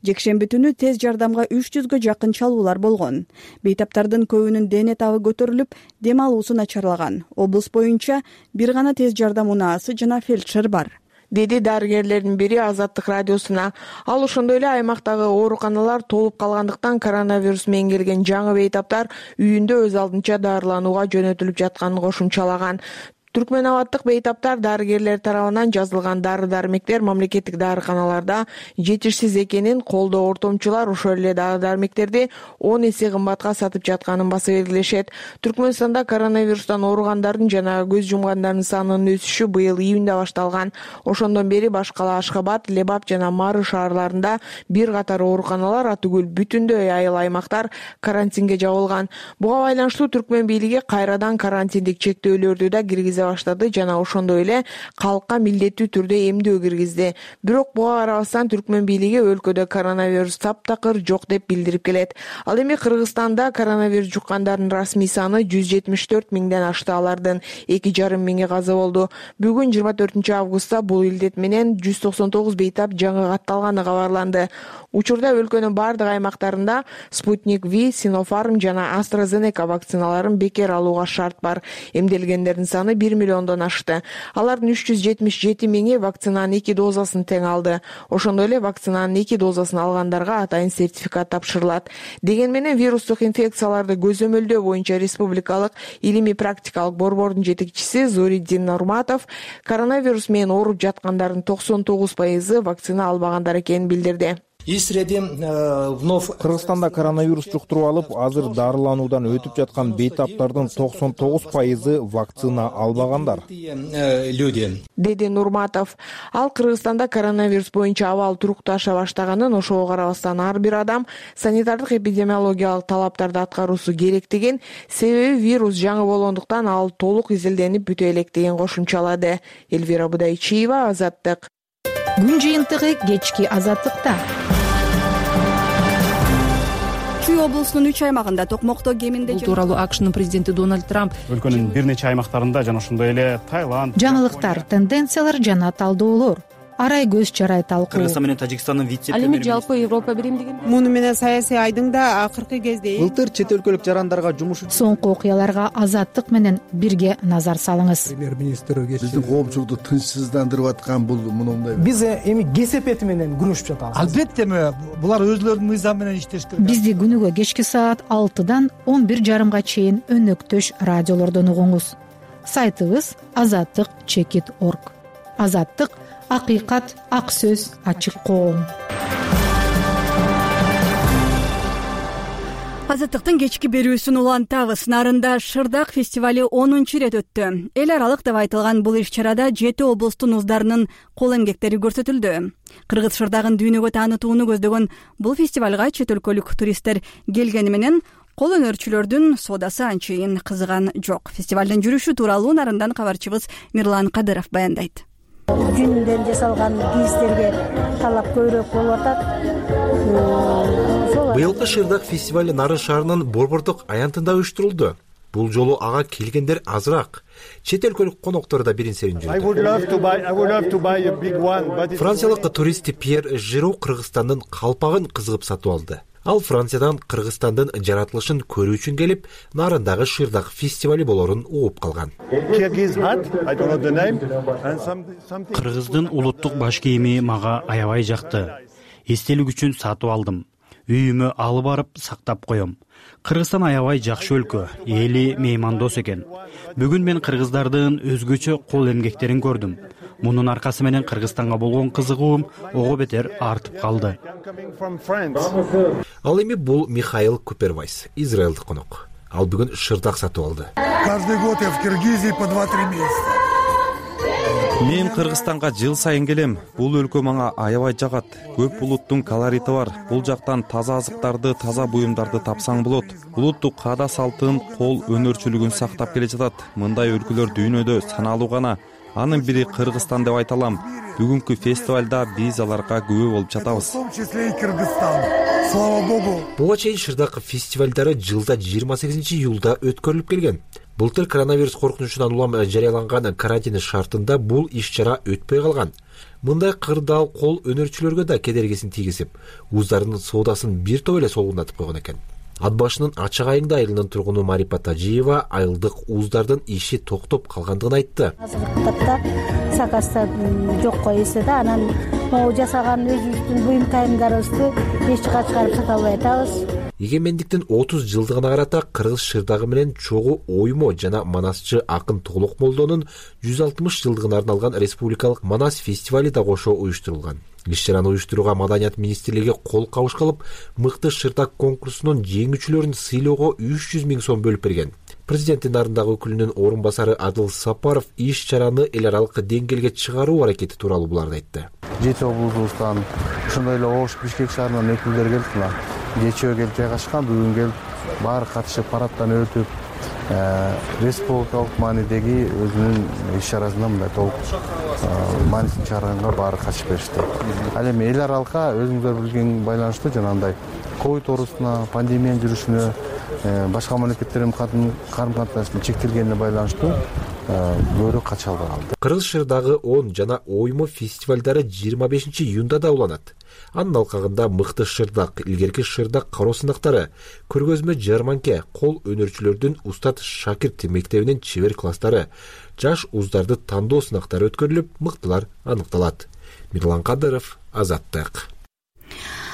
Жекшемби түнү тез жардамга 300гө жакын чалуулар болгон. Бейтаптардын көбүнүн дене табы көтөрүлүп, дем алуусу начарлаган. Облус боюнча бир гана тез жардам унаасы жана фельдшер бар, деди дарыгерлердин бири Азаттык радиосуна. Ал ошондой эле аймактагы ооруканалар толуп калгандыктан коронавирус менен келген жаңы бейтаптар үйүндө өз алдынча дарыланууга жөнөтүлүп жатканын кошумчалаган. Түркмөнабаддык бейтаптар дарыгерлер тарабынан жазылган дары-дармектер мамлекеттик дарыканаларда жетишсиз экенин, колдоо ортомчулар ошол эле дары-дармектерди 10 эсе кымбатка сатып жатканын баса белгилешет. Түркмөнстанда коронавирустан ооругандардын жана көз жумгандардын санынын өсүшү быйыл июнда башталган. Ошондон бери башкала Ашхабад, Лебап жана Мары шаарларында бир катар ооруканалар, атүгүл бүтүндөй айыл аймактар карантинге жабылган. Буга байланыштуу Түркмөн бийлиги кайрадан карантиндик чектөөлөрдү да киргизе баштады жана ошондой эле калкка милдеттүү түрдө эмдөө киргизди. Бирок буга карабастан Түркмөн бийлиги өлкөдө коронавирус таптакыр жок деп билдирип келет. Ал эми Кыргызстанда коронавирус жуккандардын расмий саны 174 миңден ашты. Алардын 2,5 миңи каза болду. Бүгүн 24 августта бул илдет менен 199 бейтап жаңы катталганы кабарланды. Учурда өлкөнүн бардык аймактарында Спутник V, Sinopharm жана AstraZeneca вакциналарын бекер алууга шарт бар. Эмделгендердин саны 1 миллиондон ашты. Алардын 377 миңи вакцинанын 2 дозасын тең алды. Ошондой эле вакцинанын 2 дозасын алгандарга атайын сертификат тапшырылат. Деген менен вирустук инфекцияларды көзөмөлдөө боюнча республикалык илимий практикалык борбордун жетекчиси Зориддин Нурматов коронавирус менен ооруп жаткандардын 99% вакцина албагандар экенин билдирди. Кыргызстанда коронавирус жуктуруп алып, азыр дарылануудан өтүп жаткан бейтаптардын 99% вакцина албагандар, деди Нурматов. Ал Кыргызстанда коронавирус боюнча абал турукташа баштаганын, ошого карабастан ар бир адам санитардык эпидемиологиялык талаптарды аткаруусу керектигин, себеби вирус жаңы болгондуктан ал толук изилденип бүтө электигин кошумчалады. Элвира Будайчиева, Азаттык. Күн жыйынтыгы кечки Азаттыкта. Чүй облусунун 3 аймагында токмокто кеминде бул тууралуу АКШнын президенти Дональд Трамп өлкөнүн бир нече аймактарында жана ошондой эле Таиланд, жаңылыктар, тенденциялар жана талдоолор, арай көз чарай талкуу. Кыргызстан менен Тажикстандын вице ал эми жалпы Европа биримдиги муну менен саясий айдыңда акыркы кезде былтыр чет өлкөлүк жарандарга жумуш соңку окуяларга Азаттык менен бирге назар салыңыз. Премьер-министр биздин коомчулукту тынчсыздандырып аткан бул мындай. Биз эми кесепети менен күрөшүп жатабыз. Албетте булар өзлөрүнүн мыйзам менен иштеш керек. Бизди күнүгө кечки саат 6-дан 11:30 чейин өнөктөш радиолордон угуңуз. Сайтыбыз azattik.org. Азаттык — акыйкат, ак сөз, ачык коом. Азаттыктын кечки берүүсүн улантабыз. Нарында Шырдак фестивали 10-чу ирет өттү. Эл аралык деп айтылган бул иш-чарада 7 облустун уздарынын кол эмгектери көрсөтүлдү. Кыргыз Шырдагын дүйнөгө таанытууну көздөгөн бул фестивалга чет өлкөлүк туристтер келгени менен кол өнөрчүлөрдүн соодасы анчейин кызыган жок. Фестивалдын жүрүшү тууралуу Нарындан кабарчыбыз Мирлан Кадыров баяндайт. Жүндөн жасалган кийимдерге талап көбүрөөк болуп атат. Быйылкы Шырдак фестивали Нарын шаарынын Борбордук аянтында уюштурулду. Бул жолу ага келгендер азыраак. Чет өлкөлүк коноктор да бирин-серин жүрдү. Франциялык турист Пьер Жиро Кыргызстандын калпагын кызыгып сатып алды. Ал Франциядан Кыргызстандын жаратылышын көрүү үчүн келип, Нарындагы Шырдак фестивали болорун угуп калган. Кыргыздын улуттук баш кийими мага аябай жакты. Эстелик үчүн сатып алдым. Үйүмө алып барып сактап коем. Кыргызстан аябай жакшы өлкө, эли меймандос экен. Бүгүн мен кыргыздардын өзгөчө кол эмгектерин көрдүм. Мунун аркасы менен Кыргызстанга болгон кызыгуум ого бетер артып калды. Ал эми бул Михаил Купервайс, израилдик конок. Ал бүгүн Шырдак сатып алды. Каждый год я в Киргизии по 2-3 месяца. Мен Кыргызстанга жыл сайын келем. Бул өлкө мага аябай жагат. Көп улуттун колорити бар. Бул жактан таза азыктарды, таза буюмдарды тапсаң болот. Улуттук каада салтын, кол өнөрчүлүгүн сактап келе жатат. Мындай өлкөлөр дүйнөдө саналуу гана. Анын бири Кыргызстан деп айталам. Бүгүнкү фестивалда биз аларга күбө болуп жатабыз. В том числе и Кыргызстан. Слава богу. Буга чейин Шырдак фестивалдары жылда 28-июлда өткөрүлүп келген. Былтыр коронавирус коркунучунан улам жарыяланган карантин шартында бул иш-чара өтпөй калган. Мындай кырдаал кол өнөрчүлөргө да кедергисин тийгизип, уздардын соодасын бир топ эле солгундатып койгон экен. Ат башынын Ачык Айыңды айылынын тургуну Марипа Тажиева айылдык уздардын иши токтоп калгандыгын айтты. Азыркытта сакаста жокко эсе да, анан могу жасаган өзүбүздүн буюм кайымдарыбызды эч жака чыгарып сата албай атабыз. Эгемендиктин 30 жылдыгына карата Кыргыз Шырдагы менен чогуу оймо жана манасчы акын Толук Молдонун 160 жылдыгына арналган республикалык манас фестивали да кошо уюштурулган. Иш-чараны уюштурууга Маданият министрлиги кол кабыш кылып, мыкты Шырдак конкурсунун жеңүүчүлөрүн сыйлоого 300 000 сом бөлүп берген. Президенттин Нарындагы өкүлүнүн орун басары Адыл Сапаров иш-чараны эл аралык деңгээлге чыгаруу аракети тууралуу буларды айтты. 7 облусубуздан ошондой эле Ош, Бишкек шаарынан өкүлдөр келди. Кечөө келип жайгашкан, бүгүн келип баары катышып парадтан өтүп, республикалык маанидеги өзүнүн иш-чарасына мындай толук маанисин чыгарганга баары катышып беришти. Ал эми эл аралыкка өзүңүздөр билген байланыштуу жанагындай ковид оорусуна, пандемиянын жүрүшүнө, башка мамлекеттердин карым-катынашынын чектелгенине байланыштуу көбүрөөк кача албай калды. Кыргыз Шырдагы 10 жана оймо фестивалдары 25-июнда да уланат. Анын алкагында мыкты Шырдак, илгерки Шырдак кароо сынактары, көргөзмө жарманке, кол өнөрчүлөрдүн устат шакирт мектебинин чебер класстары, жаш уздарды тандоо сынактары өткөрүлүп, мыктылар аныкталат. Мирлан Кадыров, Азаттык.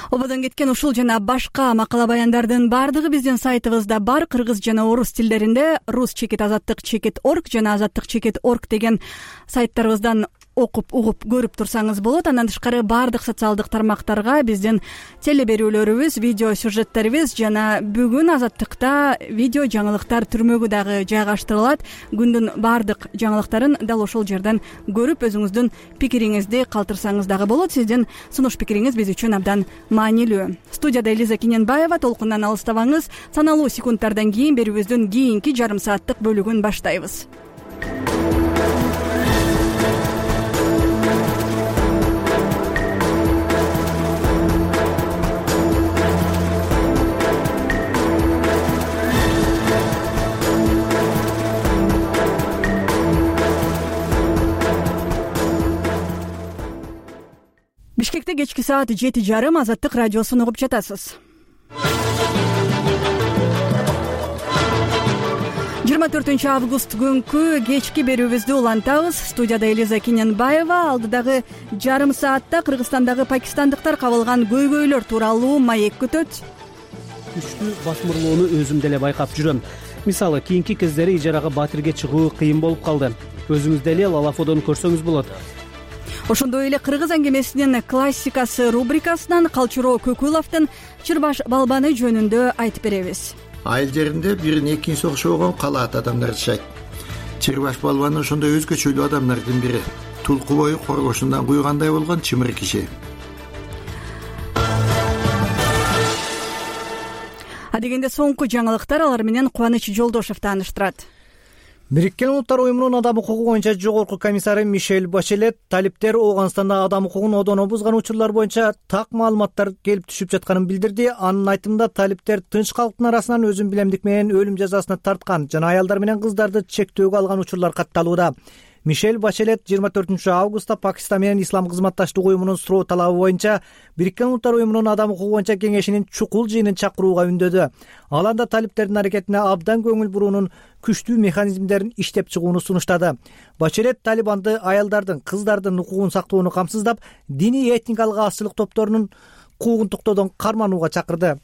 Ободон кеткен ушул жана башка макала баяндардын бардыгы биздин сайтыбызда бар. Кыргыз жана орус тилдеринде rus.azattik.org жана azattik.org деген сайттарыбыздан окуп угуп көрүп турсаңыз болот. Андан тышкары баардык социалдык тармактарга биздин телеберүүлөрүбүз, видео сюжеттерибиз жана бүгүн Азаттыкта видео жаңылыктар түрмөгү дагы жайгаштырылат. Күндүн баардык жаңылыктарын дал ошол жерден көрүп өзүңүздүн пикириңизди калтырсаңыз дагы болот. Сиздин сунуш пикириңиз биз үчүн абдан маанилүү. Студияда Элиза Киненбаева. Толкундан алыстабаңыз. Саналуу секундтардан кийин берүүбүздүн кийинки жарым сааттык бөлүгүн баштайбыз. Бишкекте кечки саат 7:30 Азаттык радиосун угуп жатасыз. 24 август күнкү кечки берүүбүздү улантабыз. Студияда Элиза Киненбаева. Алдыдагы жарым саатта Кыргызстандагы пакистандыктар кабылган көйгөйлөр тууралуу маек күтөт. Күчтүү басмырлоону өзүм деле байкап жүрөм. Мисалы, кийинки кездери ижарага батирге чыгуу кыйын болуп калды. Өзүңүз деле Лалафодон көрсөңүз болот. Ошондой эле кыргыз аңгемесинин классикасы рубрикасынан Калчуроо Көкүловдун Чырбаш балбаны жөнүндө айтып беребиз. Айыл жеринде бирин экинчиси окшогон калаат адамдар жашайт. Чырбаш балбаны ошондой өзгөчөлүү адамдардын бири. Тулку бою коргошундан куйгандай болгон чымыр киши. Адегенде соңку жаңылыктар алар менен Кубаныч Жолдошев тааныштырат. Бириккен Улуттар уюмунун адам укугу боюнча жогорку комиссары Мишель Бачелет талиптер Ооганстанда адам укугун одоно бузган учурлар боюнча так маалыматтар келип түшүп жатканын билдирди. Анын айтымында талиптер тынч калктын арасынан өзүн билемдик менен өлүм жазасына тарткан жана аялдар менен кыздарды чектөөгө алган учурлар катталууда. Мишель Бачелет 24 августта Пакистан менен Ислам кызматташтык уюмунун суроо талабы боюнча Бириккен Улуттар уюмунун адам укугу боюнча кеңешинин чукул жыйынын чакырууга үндөдү. Ал анда талиптердин аракетине абдан көңүл буруунун күчтүү механизмдерин иштеп чыгууну сунуштады. Бачелет Талибанды аялдардын, кыздардын укугун сактоону камсыздап, диний этникалык азчылык топторунун куугун токтоодон карманууга чакырды.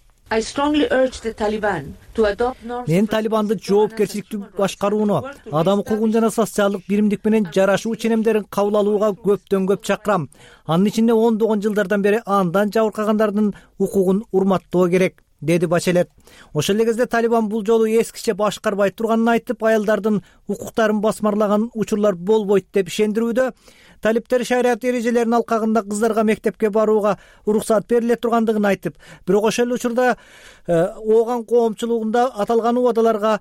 Мен Талибанды жоопкерчиликтүү башкарууну, адам укугун жана социалдык биримдик менен жарашуу ченемдерин кабыл алууга көптөн көп чакырам. Анын ичинде ондогон жылдардан бери андан жабыркагандардын укугун урматтоо керек, деди Бачелет. Ошол эле кезде Талибан бул жолу эскиче башкарбай турганын айтып, аялдардын укуктарын басмарлаган учурлар болбойт деп ишендирүүдө. Талиптер шарият эрежелеринин алкагында кыздарга мектепке барууга уруксат бериле тургандыгын айтып, бирок ошол эле учурда Ооган коомчулугунда аталган убадаларга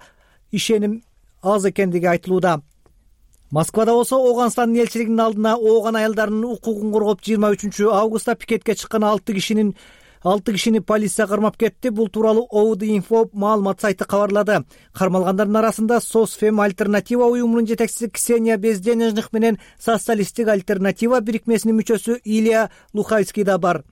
ишеним аз экендиги айтылууда. Москвада болсо Ооганстандын элчилигинин алдына Ооган аялдарынын укугун коргоп 23 августта пикетке чыккан 6 кишини полиция кармап кетти. Бул тууралуу OVD-Info маалымат сайты кабарлады. Кармалгандардын арасында Сосфем Альтернатива уюмунун жетекчиси Ксения Безденежных менен Социалисттик Альтернатива бирикмесинин мүчөсү Илья Лухайский да бар.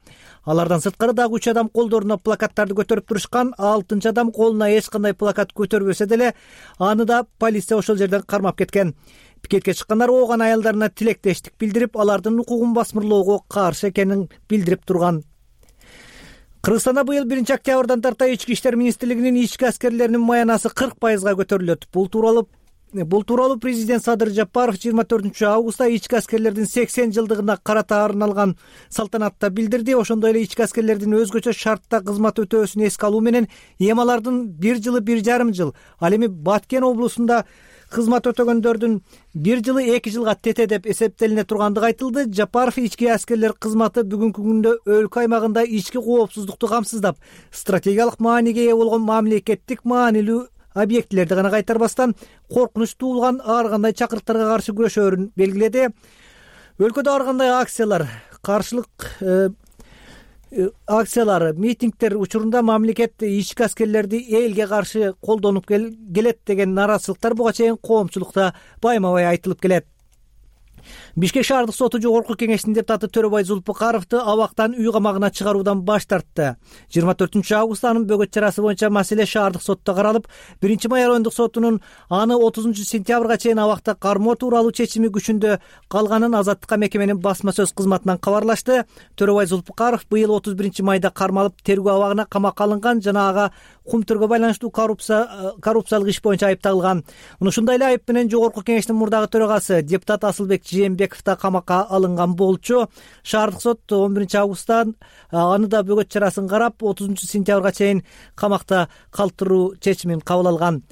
Алардан сырткары дагы 3 адам колдоруна плакаттарды көтөрүп турушкан. 6 адам колуна эч кандай плакат көтөрбөсө деле аны да полиция ошол жерден кармап кеткен. Пикетке чыккандар Ооган аялдарына тилектештик билдирип, алардын укугун басмырлоого каршы экенин билдирип турган. Кыргызстанда быйыл 1 октябрдан тарта Ички иштер министрлигинин ички аскерлеринин маянасы 40%га көтөрүлөт. Бул тууралуу президент Садыр Жапаров 24 августта ички аскерлердин 80 жылдыгына карата арналган салтанатта билдирди. Ошондой эле ички аскерлердин өзгөчө шартта кызмат өтөөсүн эске алуу менен эми алардын 1 жылы 1,5 жыл, ал эми Баткен облусунда кызмат өтөгөндөрдүн 1 жылы 2 жылга тете деп эсептелине тургандыгы айтылды. Жапаров ички аскерлер кызматы бүгүнкү күндө өлкө аймагында ички коопсуздукту камсыздап, стратегиялык мааниге ээ болгон мамлекеттик маанилүү объектилерди гана кайтарбастан коркунуч туулган ар кандай чакырыктарга каршы күрөшөөрүн белгиледи. Өлкөдө ар кандай акциялар, митингдер учурунда мамлекет ички аскерлерди элге каршы колдонуп келет деген нараазычылыктар буга чейин коомчулукта байма-бай айтылып келет. Бишкек шаардык соту жогорку кеңешинин депутаты Төрөбай Зулпукаровду абактан үй камагына чыгаруудан баш тартты. 24 августта анын бөгөт чарасы боюнча маселе шаардык сотто каралып, 1 май райондук сотунун аны 30 сентябрга чейин абакта кармоо тууралуу чечими күчүндө калганын Азаттыкка мекеменин басма сөз кызматынан кабарлашты. Төрөбай Зулпукаров быйыл 31 майда кармалып тергөө абагына камакка алынган жана ага Кумтөргө байланыштуу коррупциялык иш боюнча айыпталган. Ушундай эле айып менен Жогорку Кеңештин мурдагы төрагасы депутат Асылбек Жээнбеков да камакка алынган болчу. Шаардык сот 11-августтан аны да бөгөт чарасын карап 30-сентябрга чейин камакта калтыруу чечимин кабыл алган.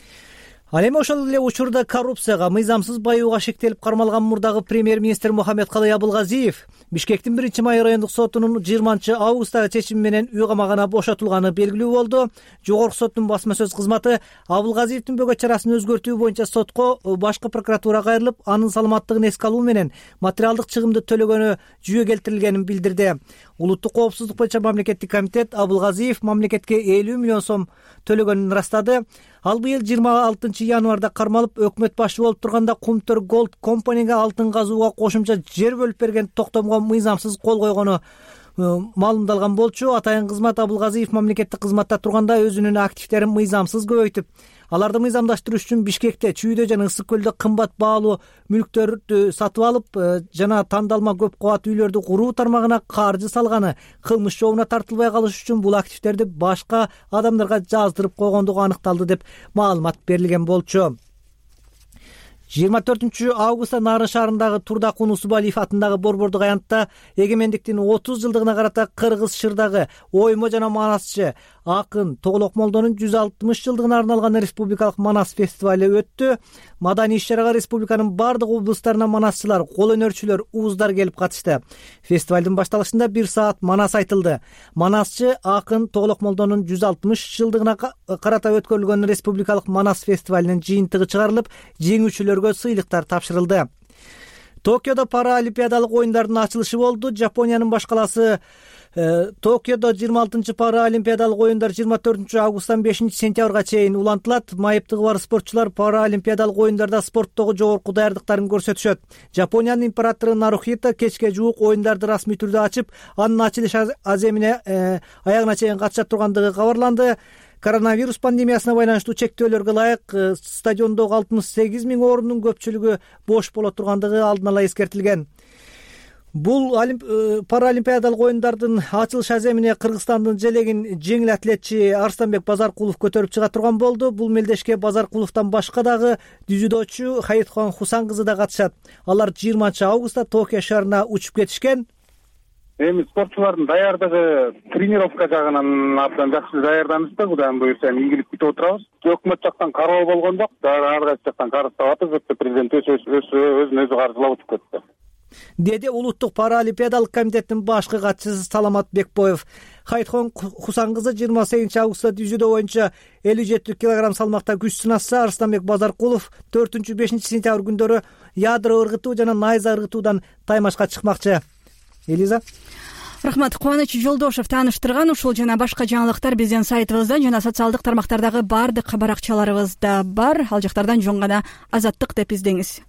Ал эми ошол эле учурда коррупцияга, мыйзамсыз баюуга шектелип кармалган мурдагы премьер-министр Мухаммедкалый Абылгазиев Бишкектин 1-май райондук сотунун 20-августтагы чечими менен үй камагына бошотулганы белгилүү болду. Жогорку соттун басма сөз кызматы Абылгазиевдин бөгөт чарасын өзгөртүү боюнча сотко башкы прокуратурага кайрылып, анын саламаттыгын эске алуу менен материалдык чыгымды төлөгөнү жүйө келтирилгенин билдирди. Улуттук коопсуздук боюнча мамлекеттик комитет Абылгазиев мамлекетке 50 миллион сом төлөгөнүн ырастады. Ал быйыл 26-январда кармалып, өкмөт башы болуп турганда Кумтөр Голд компанияга алтын казууга кошумча жер бөлүп берген токтомго мыйзамсыз кол койгону маалымдалган болчу. Атайын кызмат Абылгазиев мамлекеттик кызматта турганда өзүнүн активдерин мыйзамсыз көбөйтүп, аларды мыйзамдаштыруу үчүн Бишкекте, Чүйдө жана Ысык көлдө кымбат баалуу мүлктөрдү сатып алып, жана тандалма көп кабат үйлөрдү куруу тармагына каржы салганы, кылмыш жообуна тартылбай калыш үчүн бул активдерди башка адамдарга жаздырып койгондугу аныкталды деп маалымат берилген болчу. 24-августта Нарын шаарындагы Турдакун Усубалиев атындагы борбордук аянтта эгемендиктин 30 жылдыгына карата Кыргыз Шырдагы оймо жана манасчы акын Тоглок Молдонун 160 жылдыгына арналган республикалык манас фестивали өттү. Маданий иш-чарага республиканын бардык облустарынан манасчылар, кол өнөрчүлөр, ууздар келип катышты. Фестивалдын башталышында 1 саат манас айтылды. Манасчы акын Тоглок Молдонун 160 жылдыгына карата өткөрүлгөн республикалык манас фестивалинин жыйынтыгы чыгарылып, жеңүүчүлөргө сыйлыктар тапшырылды. Токиодо паралимпиадалык оюндардын ачылышы болду. Жапониянын баш каласы Токиодо 26-чы паралимпиадалык оюндар 24-августтан 5-сентябрга чейин улантылат. Майыптыгы бар спортчулар паралимпиадалык оюндарда спорттогу жогорку даярдыктарын көрсөтүшөт. Жапониянын императору Нарухито кечке жуук оюндарды расмий түрдө ачып, анын ачылыш аземине аягына чейин катышат тургандыгы кабарланды. Коронавирус пандемиясына байланыштуу чектөөлөргө ылайык стадиондогу 68 000 орундун көпчүлүгү бош боло тургандыгы алдын ала эскертилген. Бул паралимпиадалык оюндардын ачылыш аземине Кыргызстандын желегин жеңил атлетчи Арстанбек Базаркулов көтөрүп чыга турган болду. Бул мелдешке Базаркуловдон башка дагы дзюдочу Хаитхон Хусан кызы да катышат. Алар 20-августта Токио шаарына учуп кетишкен. Эми спортчулардын даярдыгы тренировка жагынан абдан жакшы даярданышты. Кудайым буюрса ийгилик күтүп отурабыз. Өкмөт жактан кароо болгон жок, ар кайсы жактан карыздап атабыз. Президент өзүн өзү каржылап утуп кетти, деди Улуттук паралимпиадалык комитеттин башкы катчысы Саламат Бекбоев. Хайтхон Хусан кызы 28-августта дзюдо боюнча 57 кг салмакта күч сынашса, Арстанбек Базаркулов 4-5 сентябрь күндөрү ядро ыргытуу жана найза ыргытуудан таймашка чыкмакчы. Элиза. Рахмат. Кубаныч Жолдошев тааныштырган ушул жана башка жаңылыктар биздин сайтыбызда жана социалдык тармактардагы бардык баракчаларыбызда бар. Ал жактардан жөн гана Азаттык деп издеңиз.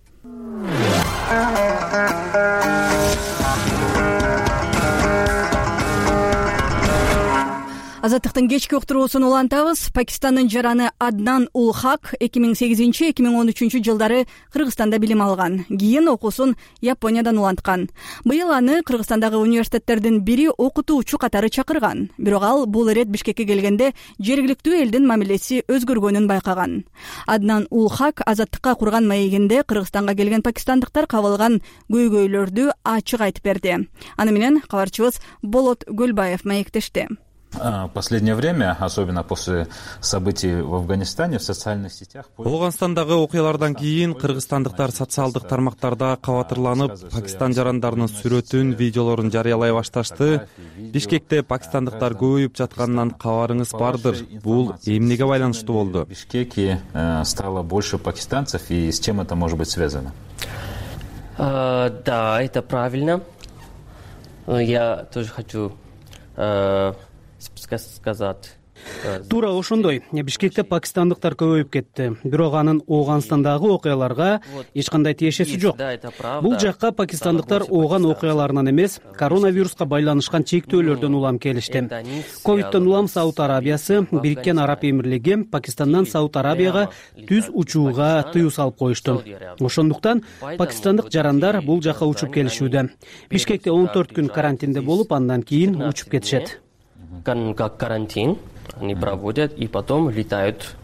Азаттыктын кечки уктуруусун улантабыз. Пакистандын жараны Аднан Ул Хак 2008-2013 жылдары Кыргызстанда билим алган. Кийин окуусун Япониядан уланткан. Быйыл аны Кыргызстандагы университеттердин бири окутуучу катары чакырган. Бирок ал бул ирет Бишкекке келгенде жергиликтүү элдин мамилеси өзгөргөнүн байкаган. Аднан Ул Хак Азаттыкка курган маегинде Кыргызстанга келген пакистандыктар кабылган көйгөйлөрдү ачык айтып берди. Аны менен кабарчыбыз Болот Гөлбаев маектешти. Последнее время, особенно после событий в Афганистане, в социальных сетях. Афганистандагы окуялардан кийин кыргызстандыктар социалдык тармактарда кабатырланып, Пакистан жарандарынын сүрөтүн, видеолорун жарыялай башташты. Бишкекте пакистандыктар көбөйүп жатканынан кабарыңыз бардыр. Бул эмнеге байланыштуу болду? В Бишкеке стало больше пакистанцев, и с чем это может быть связано? Да, это правильно. Я тоже хочу сказать. Туура ошондой. Бишкекте пакистандыктар көбөйүп кетти. Бирок анын Афганистандагы окуяларга эч кандай тиешеси жок. Бул жакка пакистандыктар Афган окуяларынан эмес, коронавируска байланышкан чектөөлөрдөн улам келишти. Ковидтен улам Сауд Арабиясы, Бириккен Араб Эмирлиги Пакистандан Сауд Арабияга түз учууга тыюу салып коюшту. Ошондуктан пакистандык жарандар бул жака учуп келишүүдө. Бишкекте 14 күн карантинде болуп, андан кийин учуп кетишет. Карантин. Они проводят и потом летают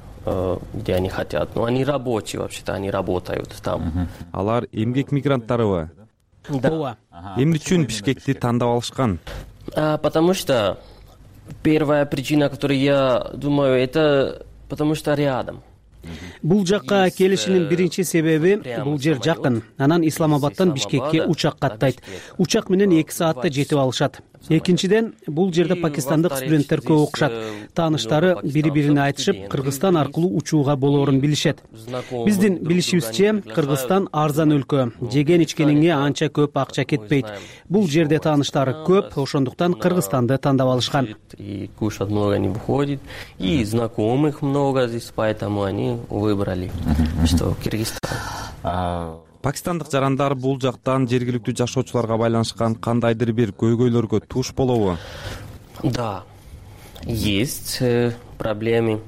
где они хотят. Но они рабочие вообще-то, они работают там. Алар эмгек мигранттарыбы? Да. Эмне үчүн Бишкекти тандап алышкан? Потому что первая причина, которую я думаю, это потому что рядом. Бул жакка келишинин биринчи себеби бул жер жакын. Анан Исламабадтан Бишкекке учак каттайт. Учак менен 2 саатта жетип алышат. Экинчиден, бул жерде пакистандык студенттер көп окушат. Тааныштары бири-бирине айтышып, Кыргызстан аркылуу учууга болоорун билишет. Биздин билишибизче, Кыргызстан арзан өлкө. Жеген-ичкениңе анча көп акча кетпейт. Бул жерде тааныштары көп, ошондуктан Кыргызстанды тандап алышкан. И кушать много не выходит, и знакомых много здесь, поэтому они выбрали, что Кыргызстан. Пакистандык жарандар бул жактан жергиликтүү жашоочуларга байланышкан кандайдыр бир көйгөйлөргө туш болобу? Да, есть проблемы.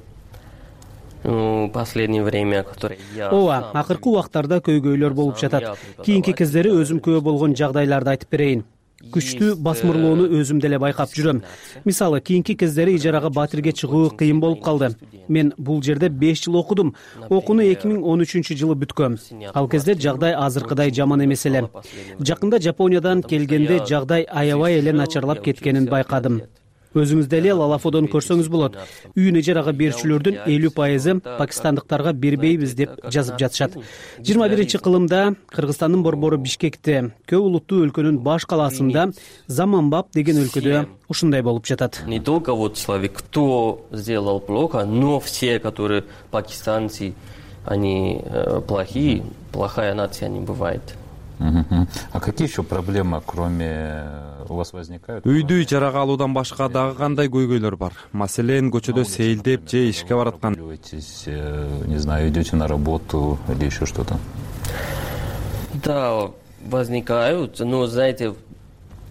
В последнее время, которые я... Ооба, акыркы убактарда көйгөйлөр болуп жатат. Кийинки кездери өзүм күбө болгон жагдайларды айтып берейин. Күчтүү басмырлоону өзүм деле байкап жүрөм. Мисалы, кийинки кездери ижарага Батирге чыгуу кыйын болуп калды. Мен бул жерде 5 жыл окудум. Окууну 2013-жылы бүткөм. Ал кезде жагдай азыркыдай жаман эмес эле. Жакында Жапониядан келгенде жагдай аябай эле начарлап кеткенин байкадым. Өзүңүз деле Лалафодон көрсөңүз болот. Үйүн ижарага берүүчүлөрдүн 50% пакистандыктарга бербейбиз деп жазып жатышат. 21-кылымда Кыргызстандын борбору Бишкекте, көп улуттуу өлкөнүн баш калаасында Заманбап деген өлкөдө ушундай болуп жатат. Не только вот человек, кто сделал плохо, но все, которые пакистанцы, они плохие, плохая нация не бывает. А какие еще проблемы, кроме у вас возникают? Үйдү ижарага алуудан башка дагы кандай көйгөйлөр бар? Маселен, көчөдө сейилдеп же ишке бараткан. Не знаю, идете на работу или еще что-то? Да, возникают, но, знаете,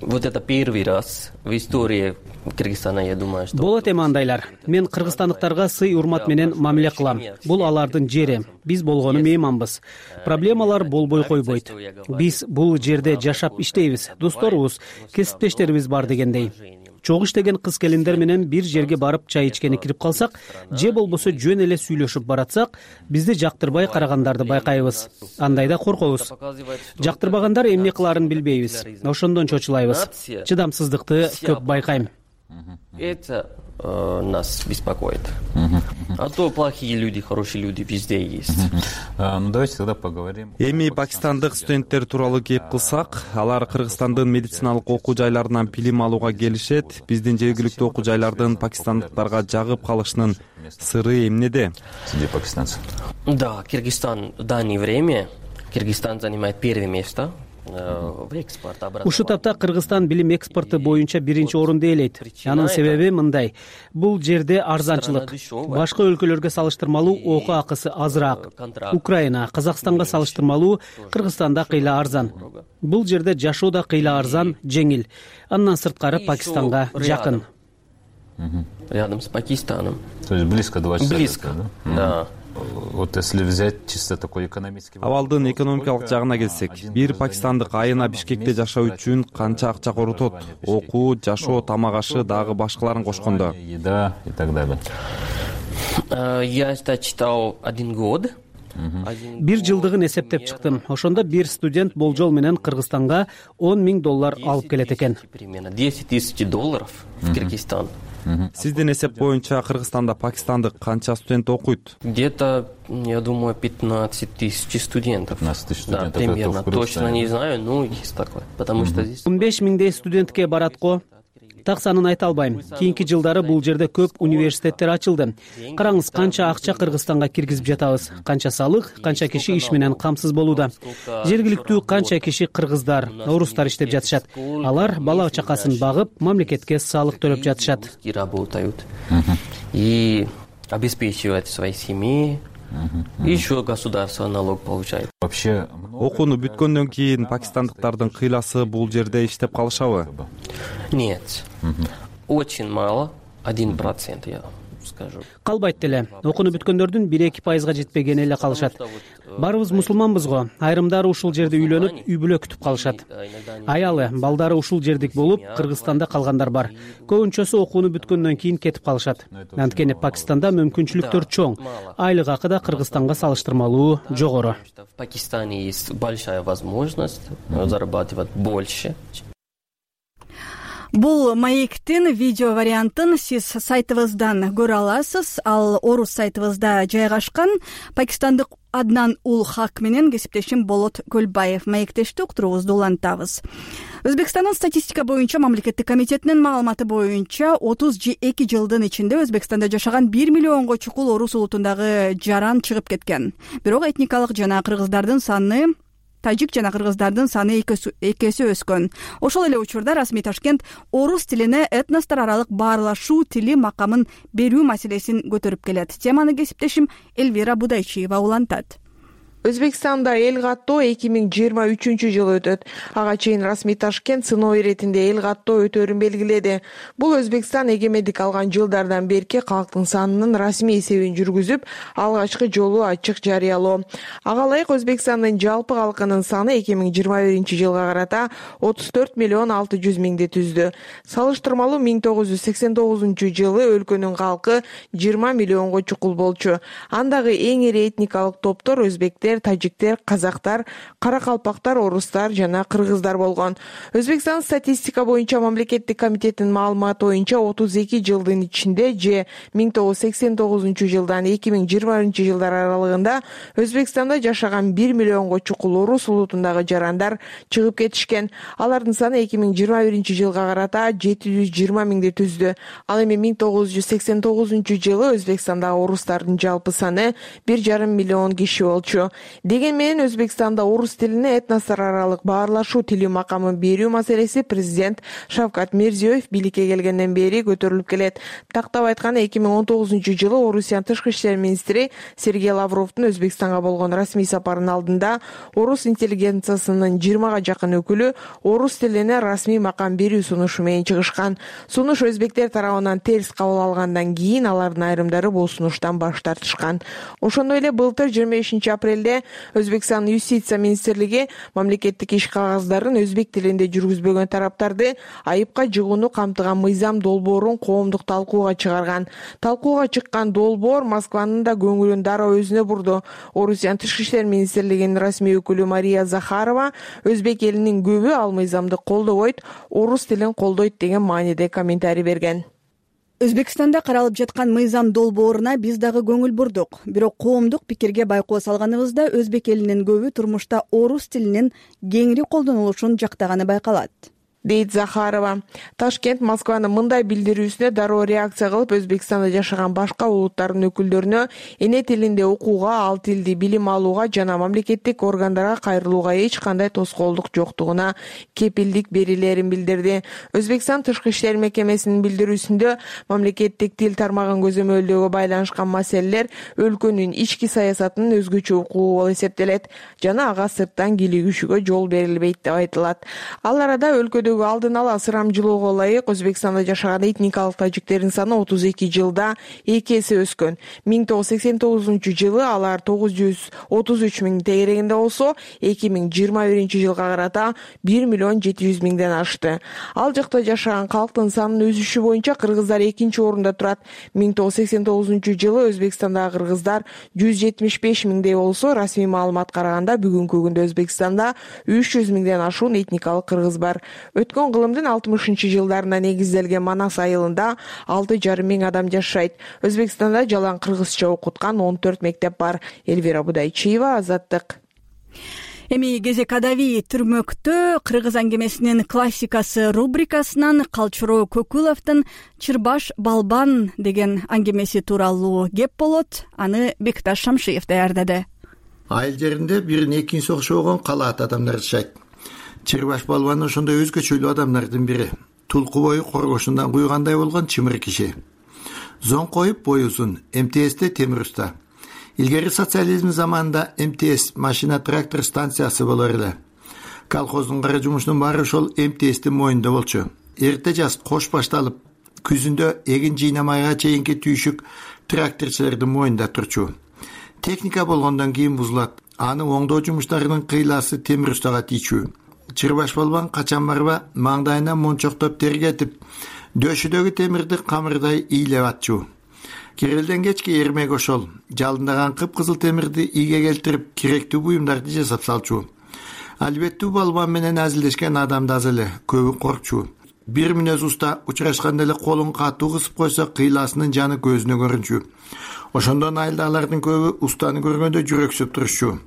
вот это первый раз в истории Кыргызстана, я думаю, что... Болот эми андайлар. Мен кыргызстандыктарга сый урмат менен мамиле кылам. Бул алардын жери. Биз болгону мейманбыз. Проблемалар болбой койбойт. Биз бул жерде жашап иштейбиз. Досторубуз, кесиптештерибиз бар дегендей. Чогуу иштеген кыз-келиндер менен бир жерге барып чай ичкени кирип калсак, же болбосо жөн эле сүйлөшүп баратсак, бизди жактырбай карагандарды байкайбыз. Андайда коркобуз. Жактырбагандар эмне кылаарын билбейбиз. Ошондон чочулайбыз. Чыдамсыздыкты көп байкайм. Это нас беспокоит. А то плохие люди, хорошие люди везде есть. Ну давайте тогда поговорим. Эми пакистандык студенттер тууралуу кеп кылсак, алар Кыргызстандын медициналык окуу жайларынан билим алууга келишет. Биздин жергиликтүү окуу жайлардын пакистандыктарга жагып калышынын сыры эмнеде? Среди пакистанцев. Да, Кыргызстан в данное время, Кыргызстан занимает первое место. Ушу тапта Кыргызстан билим экспорту боюнча биринчи орунду ээлейт. Анын себеби мындай. Бул жерде арзанчылык. Башка өлкөлөргө салыштырмалуу окуу акысы азыраак. Украина, Казакстанга салыштырмалуу Кыргызстанда кыйла арзан. Бул жерде жашоо да кыйла арзан, жеңил. Андан сырткары Пакистанга жакын. Рядом с Пакистаном. То есть близко 2 часа. Близко, да. Вот если взять чисто такой экономический... Абалдын экономикалык жагына келсек, бир пакистандык айына Бишкекте жашоо үчүн канча акча коротот? Окуу, жашоо, тамак ашы дагы башкаларын кошкондо. Еда и так далее. Я читал 1 год. Бир жылдыгын эсептеп чыктым. Ошондо бир студент болжол менен Кыргызстанга $10,000 алып келет экен. Примерно $10,000 в Кыргызстан. Сиздин эсеп боюнча Кыргызстанда пакистандык канча студент окуйт? Где-то, я думаю, 15 тысяч студентов. 15 тысяч студентов. Да, примерно. Точно не знаю, но есть такое. Потому что здесь... 15 миңдей студентке барат го. Так санын айта албайм. Кийинки жылдары бул жерде көп университеттер ачылды. Караңыз, канча акча Кыргызстанга киргизип жатабыз. Канча салык, канча киши иш менен камсыз болууда. Жергиликтүү канча киши кыргыздар, орустар иштеп жатышат. Алар бала чакасын багып, мамлекетке салык төлөп жатышат. И работают. И обеспечивают свои семьи. Еще государство налог получает. Вообще окууну бүткөндөн кийин пакистандыктардын кыйласы бул жерде иштеп калышабы? Нет. Очень мало, 1%. скажу. Калбайт деле. Окууну бүткөндөрдүн 1-2% жетпегени эле калышат. Баарыбыз мусулманбыз го. Айрымдары ушул жерде үйлөнүп, үй бүлө күтүп калышат. Аялы, балдары ушул жердик болуп, Кыргызстанда калгандар бар. Көбүнчөсү окууну бүткөндөн кийин кетип калышат. Анткени Пакистанда мүмкүнчүлүктөр чоң. Айлык акы да Кыргызстанга салыштырмалуу жогору. В Пакистане есть большая возможность зарабатывать больше. Бул маектин видео вариантын сиз сайтыбыздан көрө аласыз. Ал орус сайтыбызда жайгашкан. Пакистандык Аднан Ул Хак менен кесиптешим Болот Көлбаев маектешти уктуруубузду улантабыз. Өзбекстандын статистика боюнча мамлекеттик комитетинин маалыматы боюнча 32 жылдын ичинде Өзбекстанда жашаган 1 миллионго чукул орус улутундагы жаран чыгып кеткен. Бирок этникалык жана кыргыздардын саны тажик жана кыргыздардын саны эки эсе өскөн. Ошол эле учурда расмий Ташкент орус тилине этностор аралык баарлашуу тили макамын берүү маселесин көтөрүп келет. Теманы кесиптешим Элвира Будайчиева улантат. Өзбекстанда эл каттоо 2023-жылы өтөт. Ага чейин расмий Ташкент сыноо иретинде эл каттоо өтөөрүн белгиледи. Бул Өзбекстан эгемендик алган жылдардан берки калктын санынын расмий эсебин жүргүзүп, алгачкы жолу ачык жарыялоо. Ага ылайык Өзбекстандын жалпы калкынын саны 2021-жылга карата 34 миллион 600 миңди түздү. Салыштырмалуу 1989-жылы өлкөнүн калкы 20 миллионго чукул болчу. Андагы эң ири этникалык топтор өзбектер, тажиктер, казактар, каракалпактар, орустар жана кыргыздар болгон. Өзбекстан статистика боюнча мамлекеттик комитетинин маалыматы боюнча 32 жылдын ичинде же 1989-жылдан 2021-жылдар аралыгында Өзбекстанда жашаган 1 миллионго чукул орус улутундагы жарандар чыгып кетишкен. Алардын саны 2021-жылга карата 720 миңди түздү. Ал эми 1989-жылы Өзбекстандагы орустардын жалпы саны 1,5 миллион киши болчу. Деген менен Өзбекстанда орус тилине этностор аралык баарлашуу тили макамын берүү маселеси президент Шавкат Мирзиёев бийликке келгенден бери көтөрүлүп келет. Тактап айтканда 2019-жылы Орусиянын тышкы иштер министри Сергей Лавровдун Өзбекстанга болгон расмий сапарынын алдында орус интеллигенциясынын 20га жакын өкүлү орус тилине расмий макам берүү сунушу менен чыгышкан. Сунуш өзбектер тарабынан терс кабыл алгандан кийин алардын айрымдары бул сунуштан баш тартышкан. Ошондой эле былтыр 25-апрелде Өзбекстан юстиция министрлиги мамлекеттик иш кагаздарын өзбек тилинде жүргүзбөгөн тараптарды айыпка жыгууну камтыган мыйзам долбоорун коомдук талкууга чыгарган. Талкууга чыккан долбоор Москванын да көңүлүн дароо өзүнө бурду. Орусиянын тышкы иштер министрлигинин расмий өкүлү Мария Захарова өзбек элинин көбү ал мыйзамды колдобойт, орус тилин колдойт деген мааниде комментарий берген. Өзбекстанда каралып жаткан мыйзам долбооруна биз дагы көңүл бурдук. Бирок коомдук пикирге байкоо салганыбызда өзбек элинин көбү турмушта орус тилинин кеңири колдонулушун жактаганы байкалат, дейт Захарова. Ташкент Москванын мындай билдирүүсүнө дароо реакция кылып, Өзбекстанда жашаган башка улуттардын өкүлдөрүнө эне тилинде окууга, ал тилди билим алууга жана мамлекеттик органдарга кайрылууга эч кандай тоскоолдук жоктугуна кепилдик берилерин билдирди. Өзбекстан тышкы иштер мекемесинин билдирүүсүндө мамлекеттик тил тармагын көзөмөлдөөгө байланышкан маселелер өлкөнүн ички саясатынын өзгөчө укугу болуп эсептелет жана ага сырттан кийлигишүүгө жол берилбейт деп айтылат. Ал арада өлкөдө алдын ала ысырамчылоого ылайык Өзбекстанда жашаган этникалык тажиктердин саны 32 жылда 2 эсе өскөн. 1989-жылы алар 933 миң тегерегинде болсо, 2021-жылга карата 1 миллион 700 миңден ашты. Ал жакта жашаган калктын санынын өсүшү боюнча кыргыздар экинчи орунда турат. 1989-жылы Өзбекстандагы кыргыздар 175 миңдей болсо, расмий маалыматка караганда бүгүнкү күндө Өзбекстанда 300 миңден ашуун этникалык кыргыз бар. Өткөн кылымдын 60-жылдарына негизделген Манас айылында 6,5 миң адам жашайт. Өзбекстанда жалаң кыргызча окуткан 14 мектеп бар. Элвира Будайчиева, Азаттык. Эми кезек адави түрмөктө кыргыз аңгемесинин классикасы рубрикасынан Калчуроо Көкүловдун Чырбаш Балбан деген аңгемеси тууралуу кеп болот. Аны Бекташ Шамшиев даярдады. Айыл жеринде бирин экинчиси окшогон калаат адамдар жашайт. Чырбаш Балбан ошондой өзгөчөлүү адамдардын бири. Тулку бою коргошундан куйгандай болгон чымыр киши. Зон коюп бою узун, МТСте темир уста. Илгери социализм заманында МТС машина трактор станциясы болор эле. Колхоздун кара жумушунун баары ошол МТСтин мойнунда болчу. Эрте жаз кош башталып, Күзүндө эгин жыйнамайга чейинки түйшүк тракторчулардын мойнунда турчу. Техника болгондон кийин бузулат. Аны оңдоо жумуштарынын кыйласы темир устага тийчү. Чырбаш балбан качан барба маңдайына мончоктоп тергетип, дөшүдөгү темирди камырдай ыйлеп атчу. Кирелден кечки эрмек ошол жалындаган кыпкызыл темирди ийге келтирип, керектүү буюмдарды жасап салчу. Албетте балбан менен азилдешкен адамды аз эле, көбү коркчу. Бир мүнөз уста учурашканда эле колун катуу кысып койсо кыйласынын жаны көзүнө көрүнчү. Ошондон айылдагылардын көбү устаны көргөндө жүрөксүп турушчу.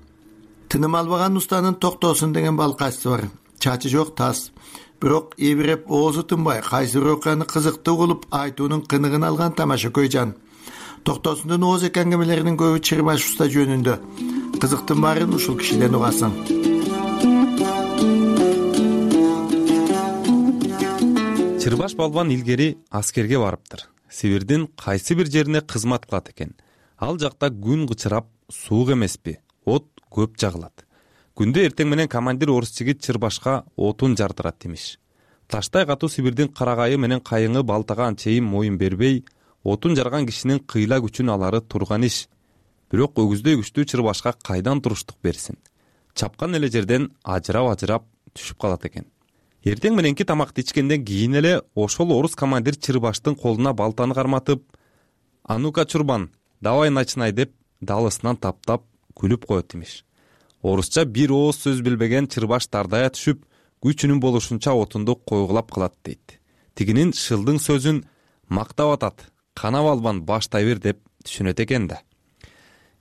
Тыным албаган устанын токтосун деген балкайчысы бар. Чачы жок тас. Бирок эбиреп оозу тынбай, кайсы бир окуяны кызыктуу кылып айтуунун кыныгын алган тамашакөй жан. Токтосундун ооз эки аңгемелеринин көбү Чырбаш уста жөнүндө. Кызыктын баарын ушул кишиден угасың. Чырбаш балбан илгери аскерге барыптыр. Сибирдин кайсы бир жерине кызмат кылат экен. Ал жакта күн кычырап, суук эмеспи, от көп жагылат. Күндө эртең менен командир орус жигит Чырбашка отун жардырат имиш. Таштай катуу Сибирдин карагайы менен кайыңы балтага анчейин моюн бербей, отун жарган кишинин кыйла күчүн алары турган иш. Бирок өгүздөй күчтүү Чырбашка кайдан туруштук берсин? Чапкан эле жерден ажырап түшүп калат экен. Эртең мененки тамакты ичкенден кийин эле ошол орус командир Чырбаштын колуна балтаны карматып, "Анука, Чурбан, давай начинай" деп далысынан таптап күлүп коет имиш. Орусча бир ооз сөз билбеген Чырбаш тардая түшүп, күчүнүн болушунча отунду койгулап кылат дейт. Тигинин шылдың сөзүн мактап атат, "Кана балбан, баштай бер" деп түшүнөт экен да.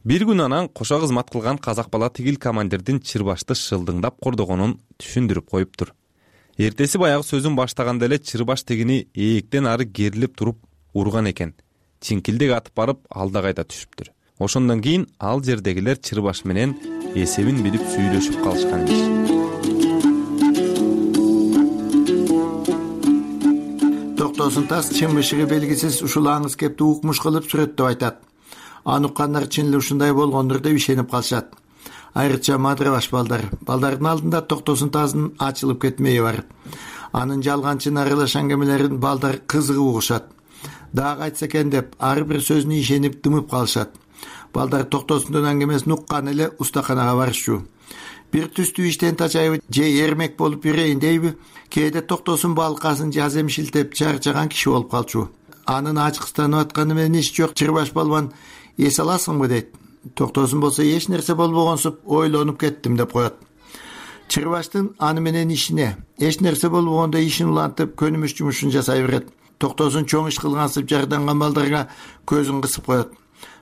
Бир күн анан кошо кызмат кылган казак бала тигил командирдин Чырбашты шылдыңдап кордогонун түшүндүрүп коюптур. Эртеси баягы сөзүн баштаганда эле Чырбаш тигини ээктен ары керилип туруп урган экен. Чинкилдек атып барып алда кайда түшүптүр. Ошондон кийин ал жердегилер Чырбаш менен эсебин билип сүйлөшүп калышкан эмес. Токтосун тас чымышыгы белгисиз ушул аңыз кепти укмуш кылып сүрөттөп айтат. Аны уккандар чын эле ушундай болгондур деп ишенип калышат. Айрыкча мадрабаш балдар. Балдардын алдында токтосун таздын ачылып кетмеyi бар. Анын жалганчын аралаш аңгемелерин балдар кызыгып угушат. Дагы айтса экен деп ар бир сөзүнө ишенип дымып калышат. Балдар токтосундун аңгемесин уккан эле устаканага барышчу. Бир түстүү иштен тачайбы же эрмек болуп ирейин дейби, кээде токтосун балкасын жаз эмшилтеп чарчаган киши болуп калчу. Анын ачкыстанып атканы менен иш жок. Чырбаш балбан, эс аласыңбы дейт. Токтосун болсо эч нерсе болбогонсуп ойлонуп кеттим деп коет. Чырбаштын аны менен ишине, эч нерсе болбогондо ишин улантып көнүмүш жумушун жасай берет. Токтосун чоң иш кылгансып жарданган балдарга көзүн кысып коет.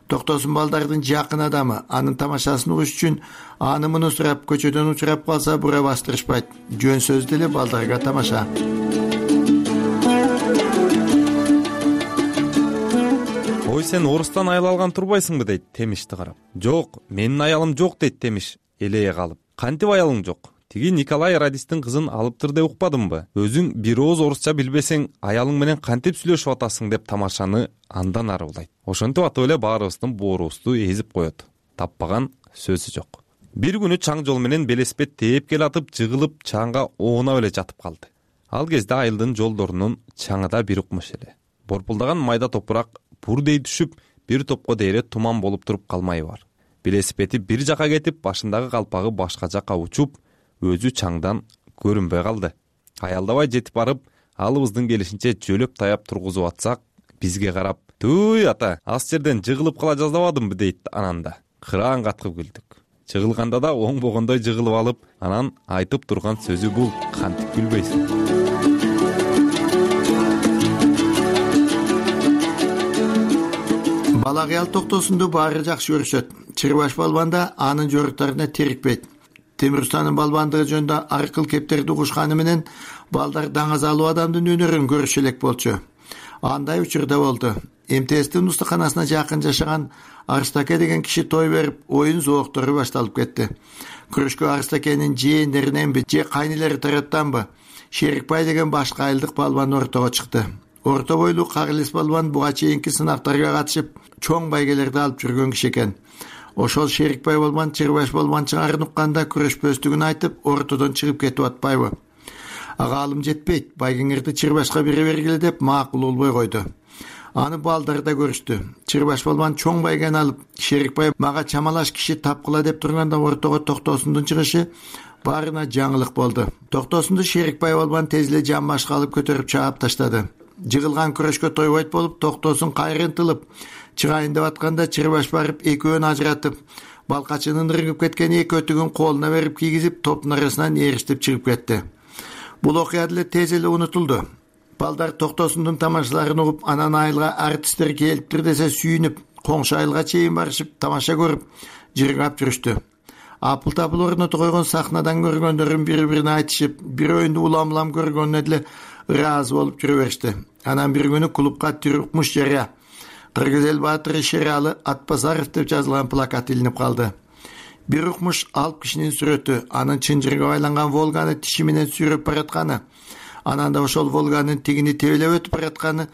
Токтосун балдардын жакын адамы, анын тамашасын угуш үчүн аны муну сурап, көчөдөн учурап калса бура бастырышпайт. Жөн сөз деле балдарга тамаша. "Ой, сен орустан аял алган турбайсыңбы?" дейт Темишти карап. "Жок, менин аялым жок" дейт Темиш элее калып. "Кантип аялың жок? Тиги Николай радистин кызын алыптыр деп укпадымбы? Өзүң бир ооз орусча билбесең, аялың менен кантип сүйлөшүп атасың" деп тамашаны андан ары улайт. Ошентип атып эле баарыбыздын боорубузду эзип коет. Таппаган сөзү жок. Бир күнү чаң жол менен велосипед тээп келатып, жыгылып чаңга оонап эле жатып калды. Ал кезде айылдын жолдорунун чаңы да бир укмуш эле. Борпулдаган майда топурак бурдей түшүп, бир топко дейре туман болуп туруп калмайы бар. Велосипеди бир жака кетип, башындагы калпагы башка жака учуп, өзү чаңдан көрүнбөй калды. Аялдабай жетип барып, алыбыздын келишинче жөлөп таяп тургузуп атсак, бизге карап, "Туй ата, аз жерден жыгылып кала жаздабадымбы" дейт ананда. Кыраан каткып күлдүк. Жыгылганда да оңбогондой жыгылып алып, анан айтып турган сөзү бул: "Кантип күлбөйсүң?" Бала кыял токтосунду баары жакшы көрүшөт. Чырбаш балбан да анын жоруктарына терикпейт. Темир устанын балбандыгы жөнүндө ар кыл кептерди угушканы менен балдар даңазалуу адамдын өнөрүн көрүшө элек болчу. Андай учурда болду. МТСтин устаканасына жакын жашаган Арстаке деген киши той берип, оюн зооктору башталып кетти. Күрөшкө Арстакенин жээндериненби же кайнелери тараптанбы Шерикбай деген башка айылдык балбан ортого чыкты. Орто бойлуу Кагылес балбан буга чейинки сынактарга катышып, чоң байгелерди алып жүргөн киши экен. Ошол Шерикбай балбан Чырбаш балбан чыгарын укканда күрөшпөстүгүн айтып, ортодон чыгып кетип атпайбы? Ага алым жетпейт, Байгеңерди Чырбашка бере бергиле деп макул болбой койду. Аны балдары да көрүштү. Чырбаш балбан чоң байгени алып, Шерикбай мага чамалаш киши тапкыла деп турганда ортого Токтосундун чыгышы баарына жаңылык болду. Токтосунду Шерикбай балбан тез эле жан башка алып көтөрүп чаап таштады. Жыгылган күрөшкө тойбойт болуп, Токтосун кайрын тылып чыгайын деп атканда Чырбаш барып экөөнү ажыратып, балкачынын ыргып кеткен эки өтүгүн колуна берип кийгизип, топтун арасынан эриштип чыгып кетти. Бул окуя деле тез эле унутулду. Балдар Токтосундун тамашаларын угуп, анан айылга артисттер келиптир десе сүйүнүп, коңшу айылга чейин барышып, тамаша көрүп, жыргап жүрүштү. Апыл-тапыл орнотуп койгон сахнадан көргөндөрүн бири-бирине айтышып, бирөөүндү улам-улам көргөнүнө деле ыраазы болуп жүрө беришти. Анан бир күнү клубка Түркмуш жарыя Кыргыз эл баатыры Шералы Атбасаров деп жазылган плакат илинип калды. Бир укмуш алып кишинин сүрөтү, анын чынжырга байланган Волганы тиши менен сүйрөп баратканы, анан да ошол Волганын тигини тебелеп өтүп баратканы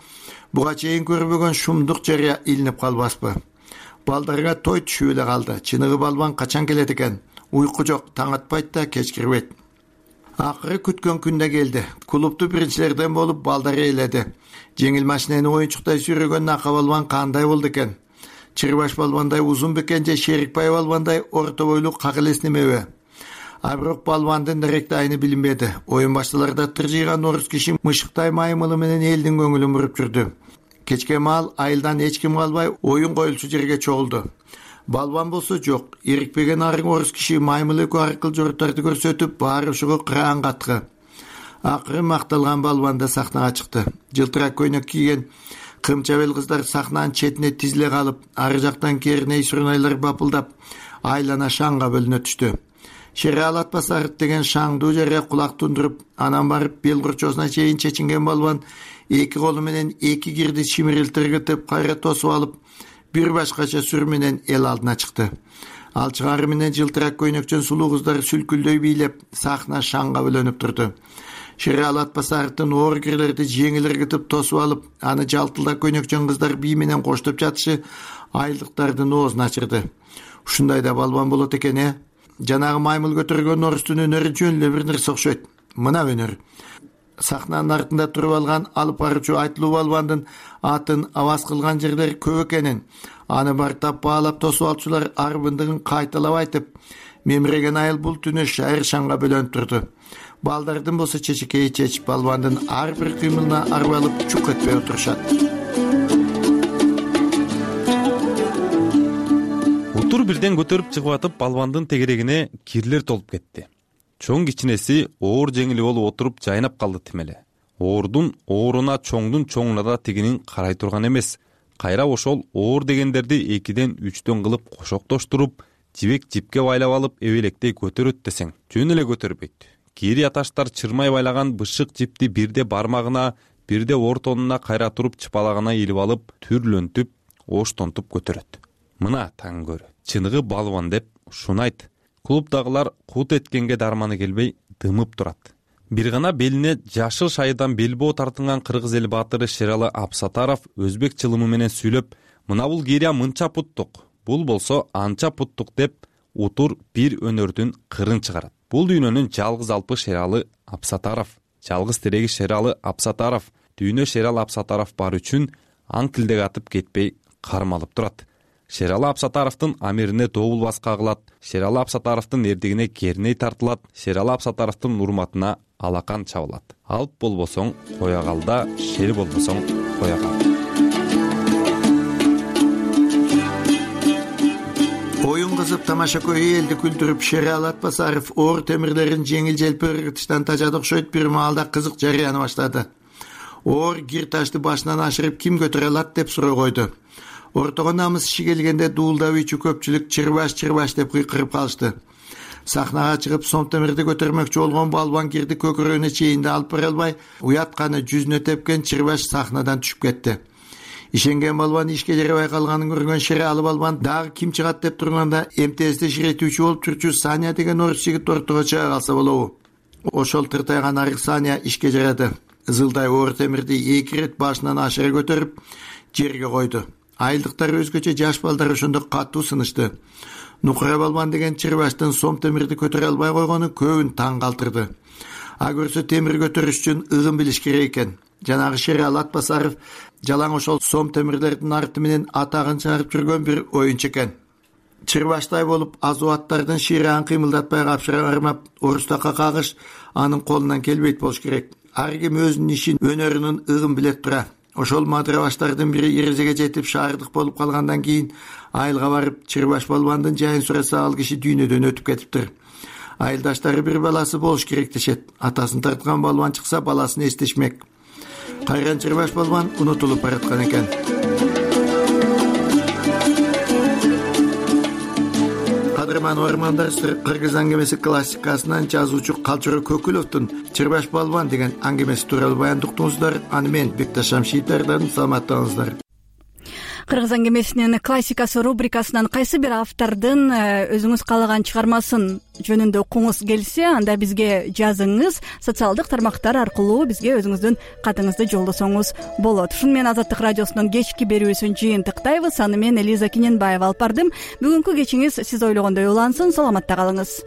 буга чейин көрбөгөн шумдук жарыя илинип калбаспы. Балдарга той түшүп эле калды. Чыныгы балбан качан келет экен? Уйку жок, таң атпайт да кеч кирбейт. Акыры күткөн күн да келди. Клубту биринчилерден болуп балдар ээледи. Жеңил машинени оюнчуктай сүйрөгөн Нака балбан кандай болду экен? Чырбаш балбандай узун бекен же Шерикбай балбандай орто бойлуу как элес немеби? А бирок балбандын директ айны билинбеди. Оюн башталарда тыржыйган орус киши мышыктай маймылы менен элдин көңүлүн буруп жүрдү. Кечке маал айылдан эч ким калбай оюн коюлчу жерге чогулду. Балбан болсо жок. Ирикпеген арың орус киши маймыл экөө аркылуу жорттарды көрсөтүп, баары ушуга кыраан каткы. Акыры макталган балбан да сахнага чыкты. Жылтырак көйнөк кийген кымчабел кыздар сахнанын четине тизиле калып, ары жактан керней сурнайлар бапылдап, айлана шаңга бөлүнө түштү. Шералы Атбасаров деген шаңдуу жерге кулак тундуруп, анан барып бел курчоосуна чейин чечинген балбан эки колу менен эки кирди чимирилтиргитип кайра тосуп алып, бир башкача сүр менен эл алдына чыкты. Ал чыгары менен жылтырак көйнөкчөн сулуу кыздар сүлкүлдөй бийлеп, сахна шаңга бөлөнүп турду. Шералы Атбасаровдун оор кирлерди жеңил ыргытып тосуп алып, аны жалтылдак көйнөкчөн кыздар бий менен коштоп жатышы айылдыктардын оозун ачырды. Ушундай да балбан болот экен, Жанагы маймыл көтөргөн орустун өнөрү жөн эле бир нерсе окшойт. Мына өнөр. Сахнанын артында туруп алган алып баруучу айтылуу балбандын атын аваз кылган жерлер көп экенин, аны бартап баалап тосуп алчулар арбындыгын кайталап айтып, мемиреген айыл бул түнү шайыр шаңга бөлөнүп турду. Балдардын болсо чечекей чечип, балбандын ар бир кыймылына арбалып чук этпей отурушат. Утур бирден көтөрүп чыгып атып, балбандын тегерегине кирлер толуп кетти. Чоң кичинеси оор жеңили болуп отуруп жайнап калды тимеле. Оордун ооруна, чоңдун чоңуна да тигинин карай турган эмес. Кайра ошол оор дегендерди 2ден 3дөн кылып кошоктоштуруп, жибек жипке байлап алып эбелектей көтөрөт десең, жөн эле көтөрбөйт. Кири аташтар чырмай байлаган бышык жипти бирде бармагына, бирде ортонуна кайра туруп чыпалагына илип алып, түрлөнтүп, оштонтуп көтөрөт. Мына таң көрү. Чыныгы балбан деп ушуну айт. Клубдагылар кут эткенге дарманы келбей дымып турат. Бир гана белине жашыл шайыдан белбоо тартынган кыргыз эл баатыры Шералы Абсатаров өзбек чылымы менен сүйлөп, мына бул кирия мынча путтук, бул болсо анча путтук деп утур бир өнөрдүн кырын чыгарат. Бул дүйнөнүн жалгыз алпы Шералы Абсатаров, жалгыз тереги Шералы Абсатаров, дүйнө Шералы Абсатаров бар үчүн аң тилдек атып кетпей кармалып турат. Шералы Абсатаровдун амирине добулбас кагылат, Шералы Абсатаровдун эрдигине керней тартылат, Шералы Абсатаровдун урматына алакан чабылат. Алп болбосоң кое кал да, шер болбосоң кое кал. Оюн кызып тамаша көйү элди күлдүрүп, Шералы Атбасаров оор темирлерин жеңил желпи ыргытыштан тажады окшойт бир маалда кызык жарыяны баштады. Оор гир ташты башынан ашырып ким көтөрө алат деп суроо койду. Ортого намыс иши келгенде дуулдап үйчү көпчүлүк чырбаш деп кыйкырып калышты. Сахнага чыгып сом темирди көтөрмөкчү болгон балбан кирди көкүрөгүнө чейин да алып бара албай, уятканы жүзүнө тепкен чырбаш сахнадан түшүп кетти. Ишенген балбан ишке жарабай калганын көргөн Шералы балбан дагы ким чыгат деп турганда МТС'де ширетүүчү болуп жүрчү Саня деген орус жигит ортого чыга калса болобу. Ошол тыртайган арык Саня ишке жарады. Зылдай оор темирди эки ирет башынан ашыра көтөрүп жерге койду. Айылдыктар өзгөчө жаш балдар ошондо катуу сынышты. Нукура балбан деген чырбаштын сом темирди көтөрө албай койгону көбүн таң калтырды. көрсө темир көтөрүш үчүн ыгын билиш керек экен. Жанагы Шерал Атбасаров жалаң ошол сом темирлердин арты менен атагын чыгарып жүргөн бир оюнчу экен. Чырбаштай болуп азуаттардын ширагын кыймылдатпай капшыра бармап орустакка кагыш анын колунан келбейт болуш керек. Ар ким өзүнүн ишин, өнөрүнүн ыгын билет тура. Ошол мадырабаштардын бири эрезеге жетип шаардык болуп калгандан кийин айылга барып Чырбаш балбандын жайын сураса ал киши дүйнөдөн өтүп кетиптир. Айылдаштары бир баласы болуш керек дешет. Атасын тарткан балбан чыкса баласын эстешмек. Кайран Чырбаш балбан унутулуп бараткан экен. Кадырман Ормандар кыргыз аңгемеси классикасынан жазуучу Калчыроо Көкүловдун Чырбаш балбан деген аңгемеси тууралуу баяндуктуңуздар. Аны мен Бекташ Шамшитовдон саламаттаңыздар. Кыргыз аңгемесинин классикасы рубрикасынан кайсы бир автордун өзүңүз каалаган чыгармасын жөнүндө окуңуз келсе, анда бизге жазыңыз. Социалдык тармактар аркылуу бизге өзүңүздүн катыңызды жолдосоңуз болот. Ушуну менен Азаттык радиосунун кечки берүүсүн жыйынтыктайбыз. Аны мен Элиза Киненбаева алып бардым. Бүгүнкү кечиңиз сиз ойлогондой улансын. Саламатта калыңыз.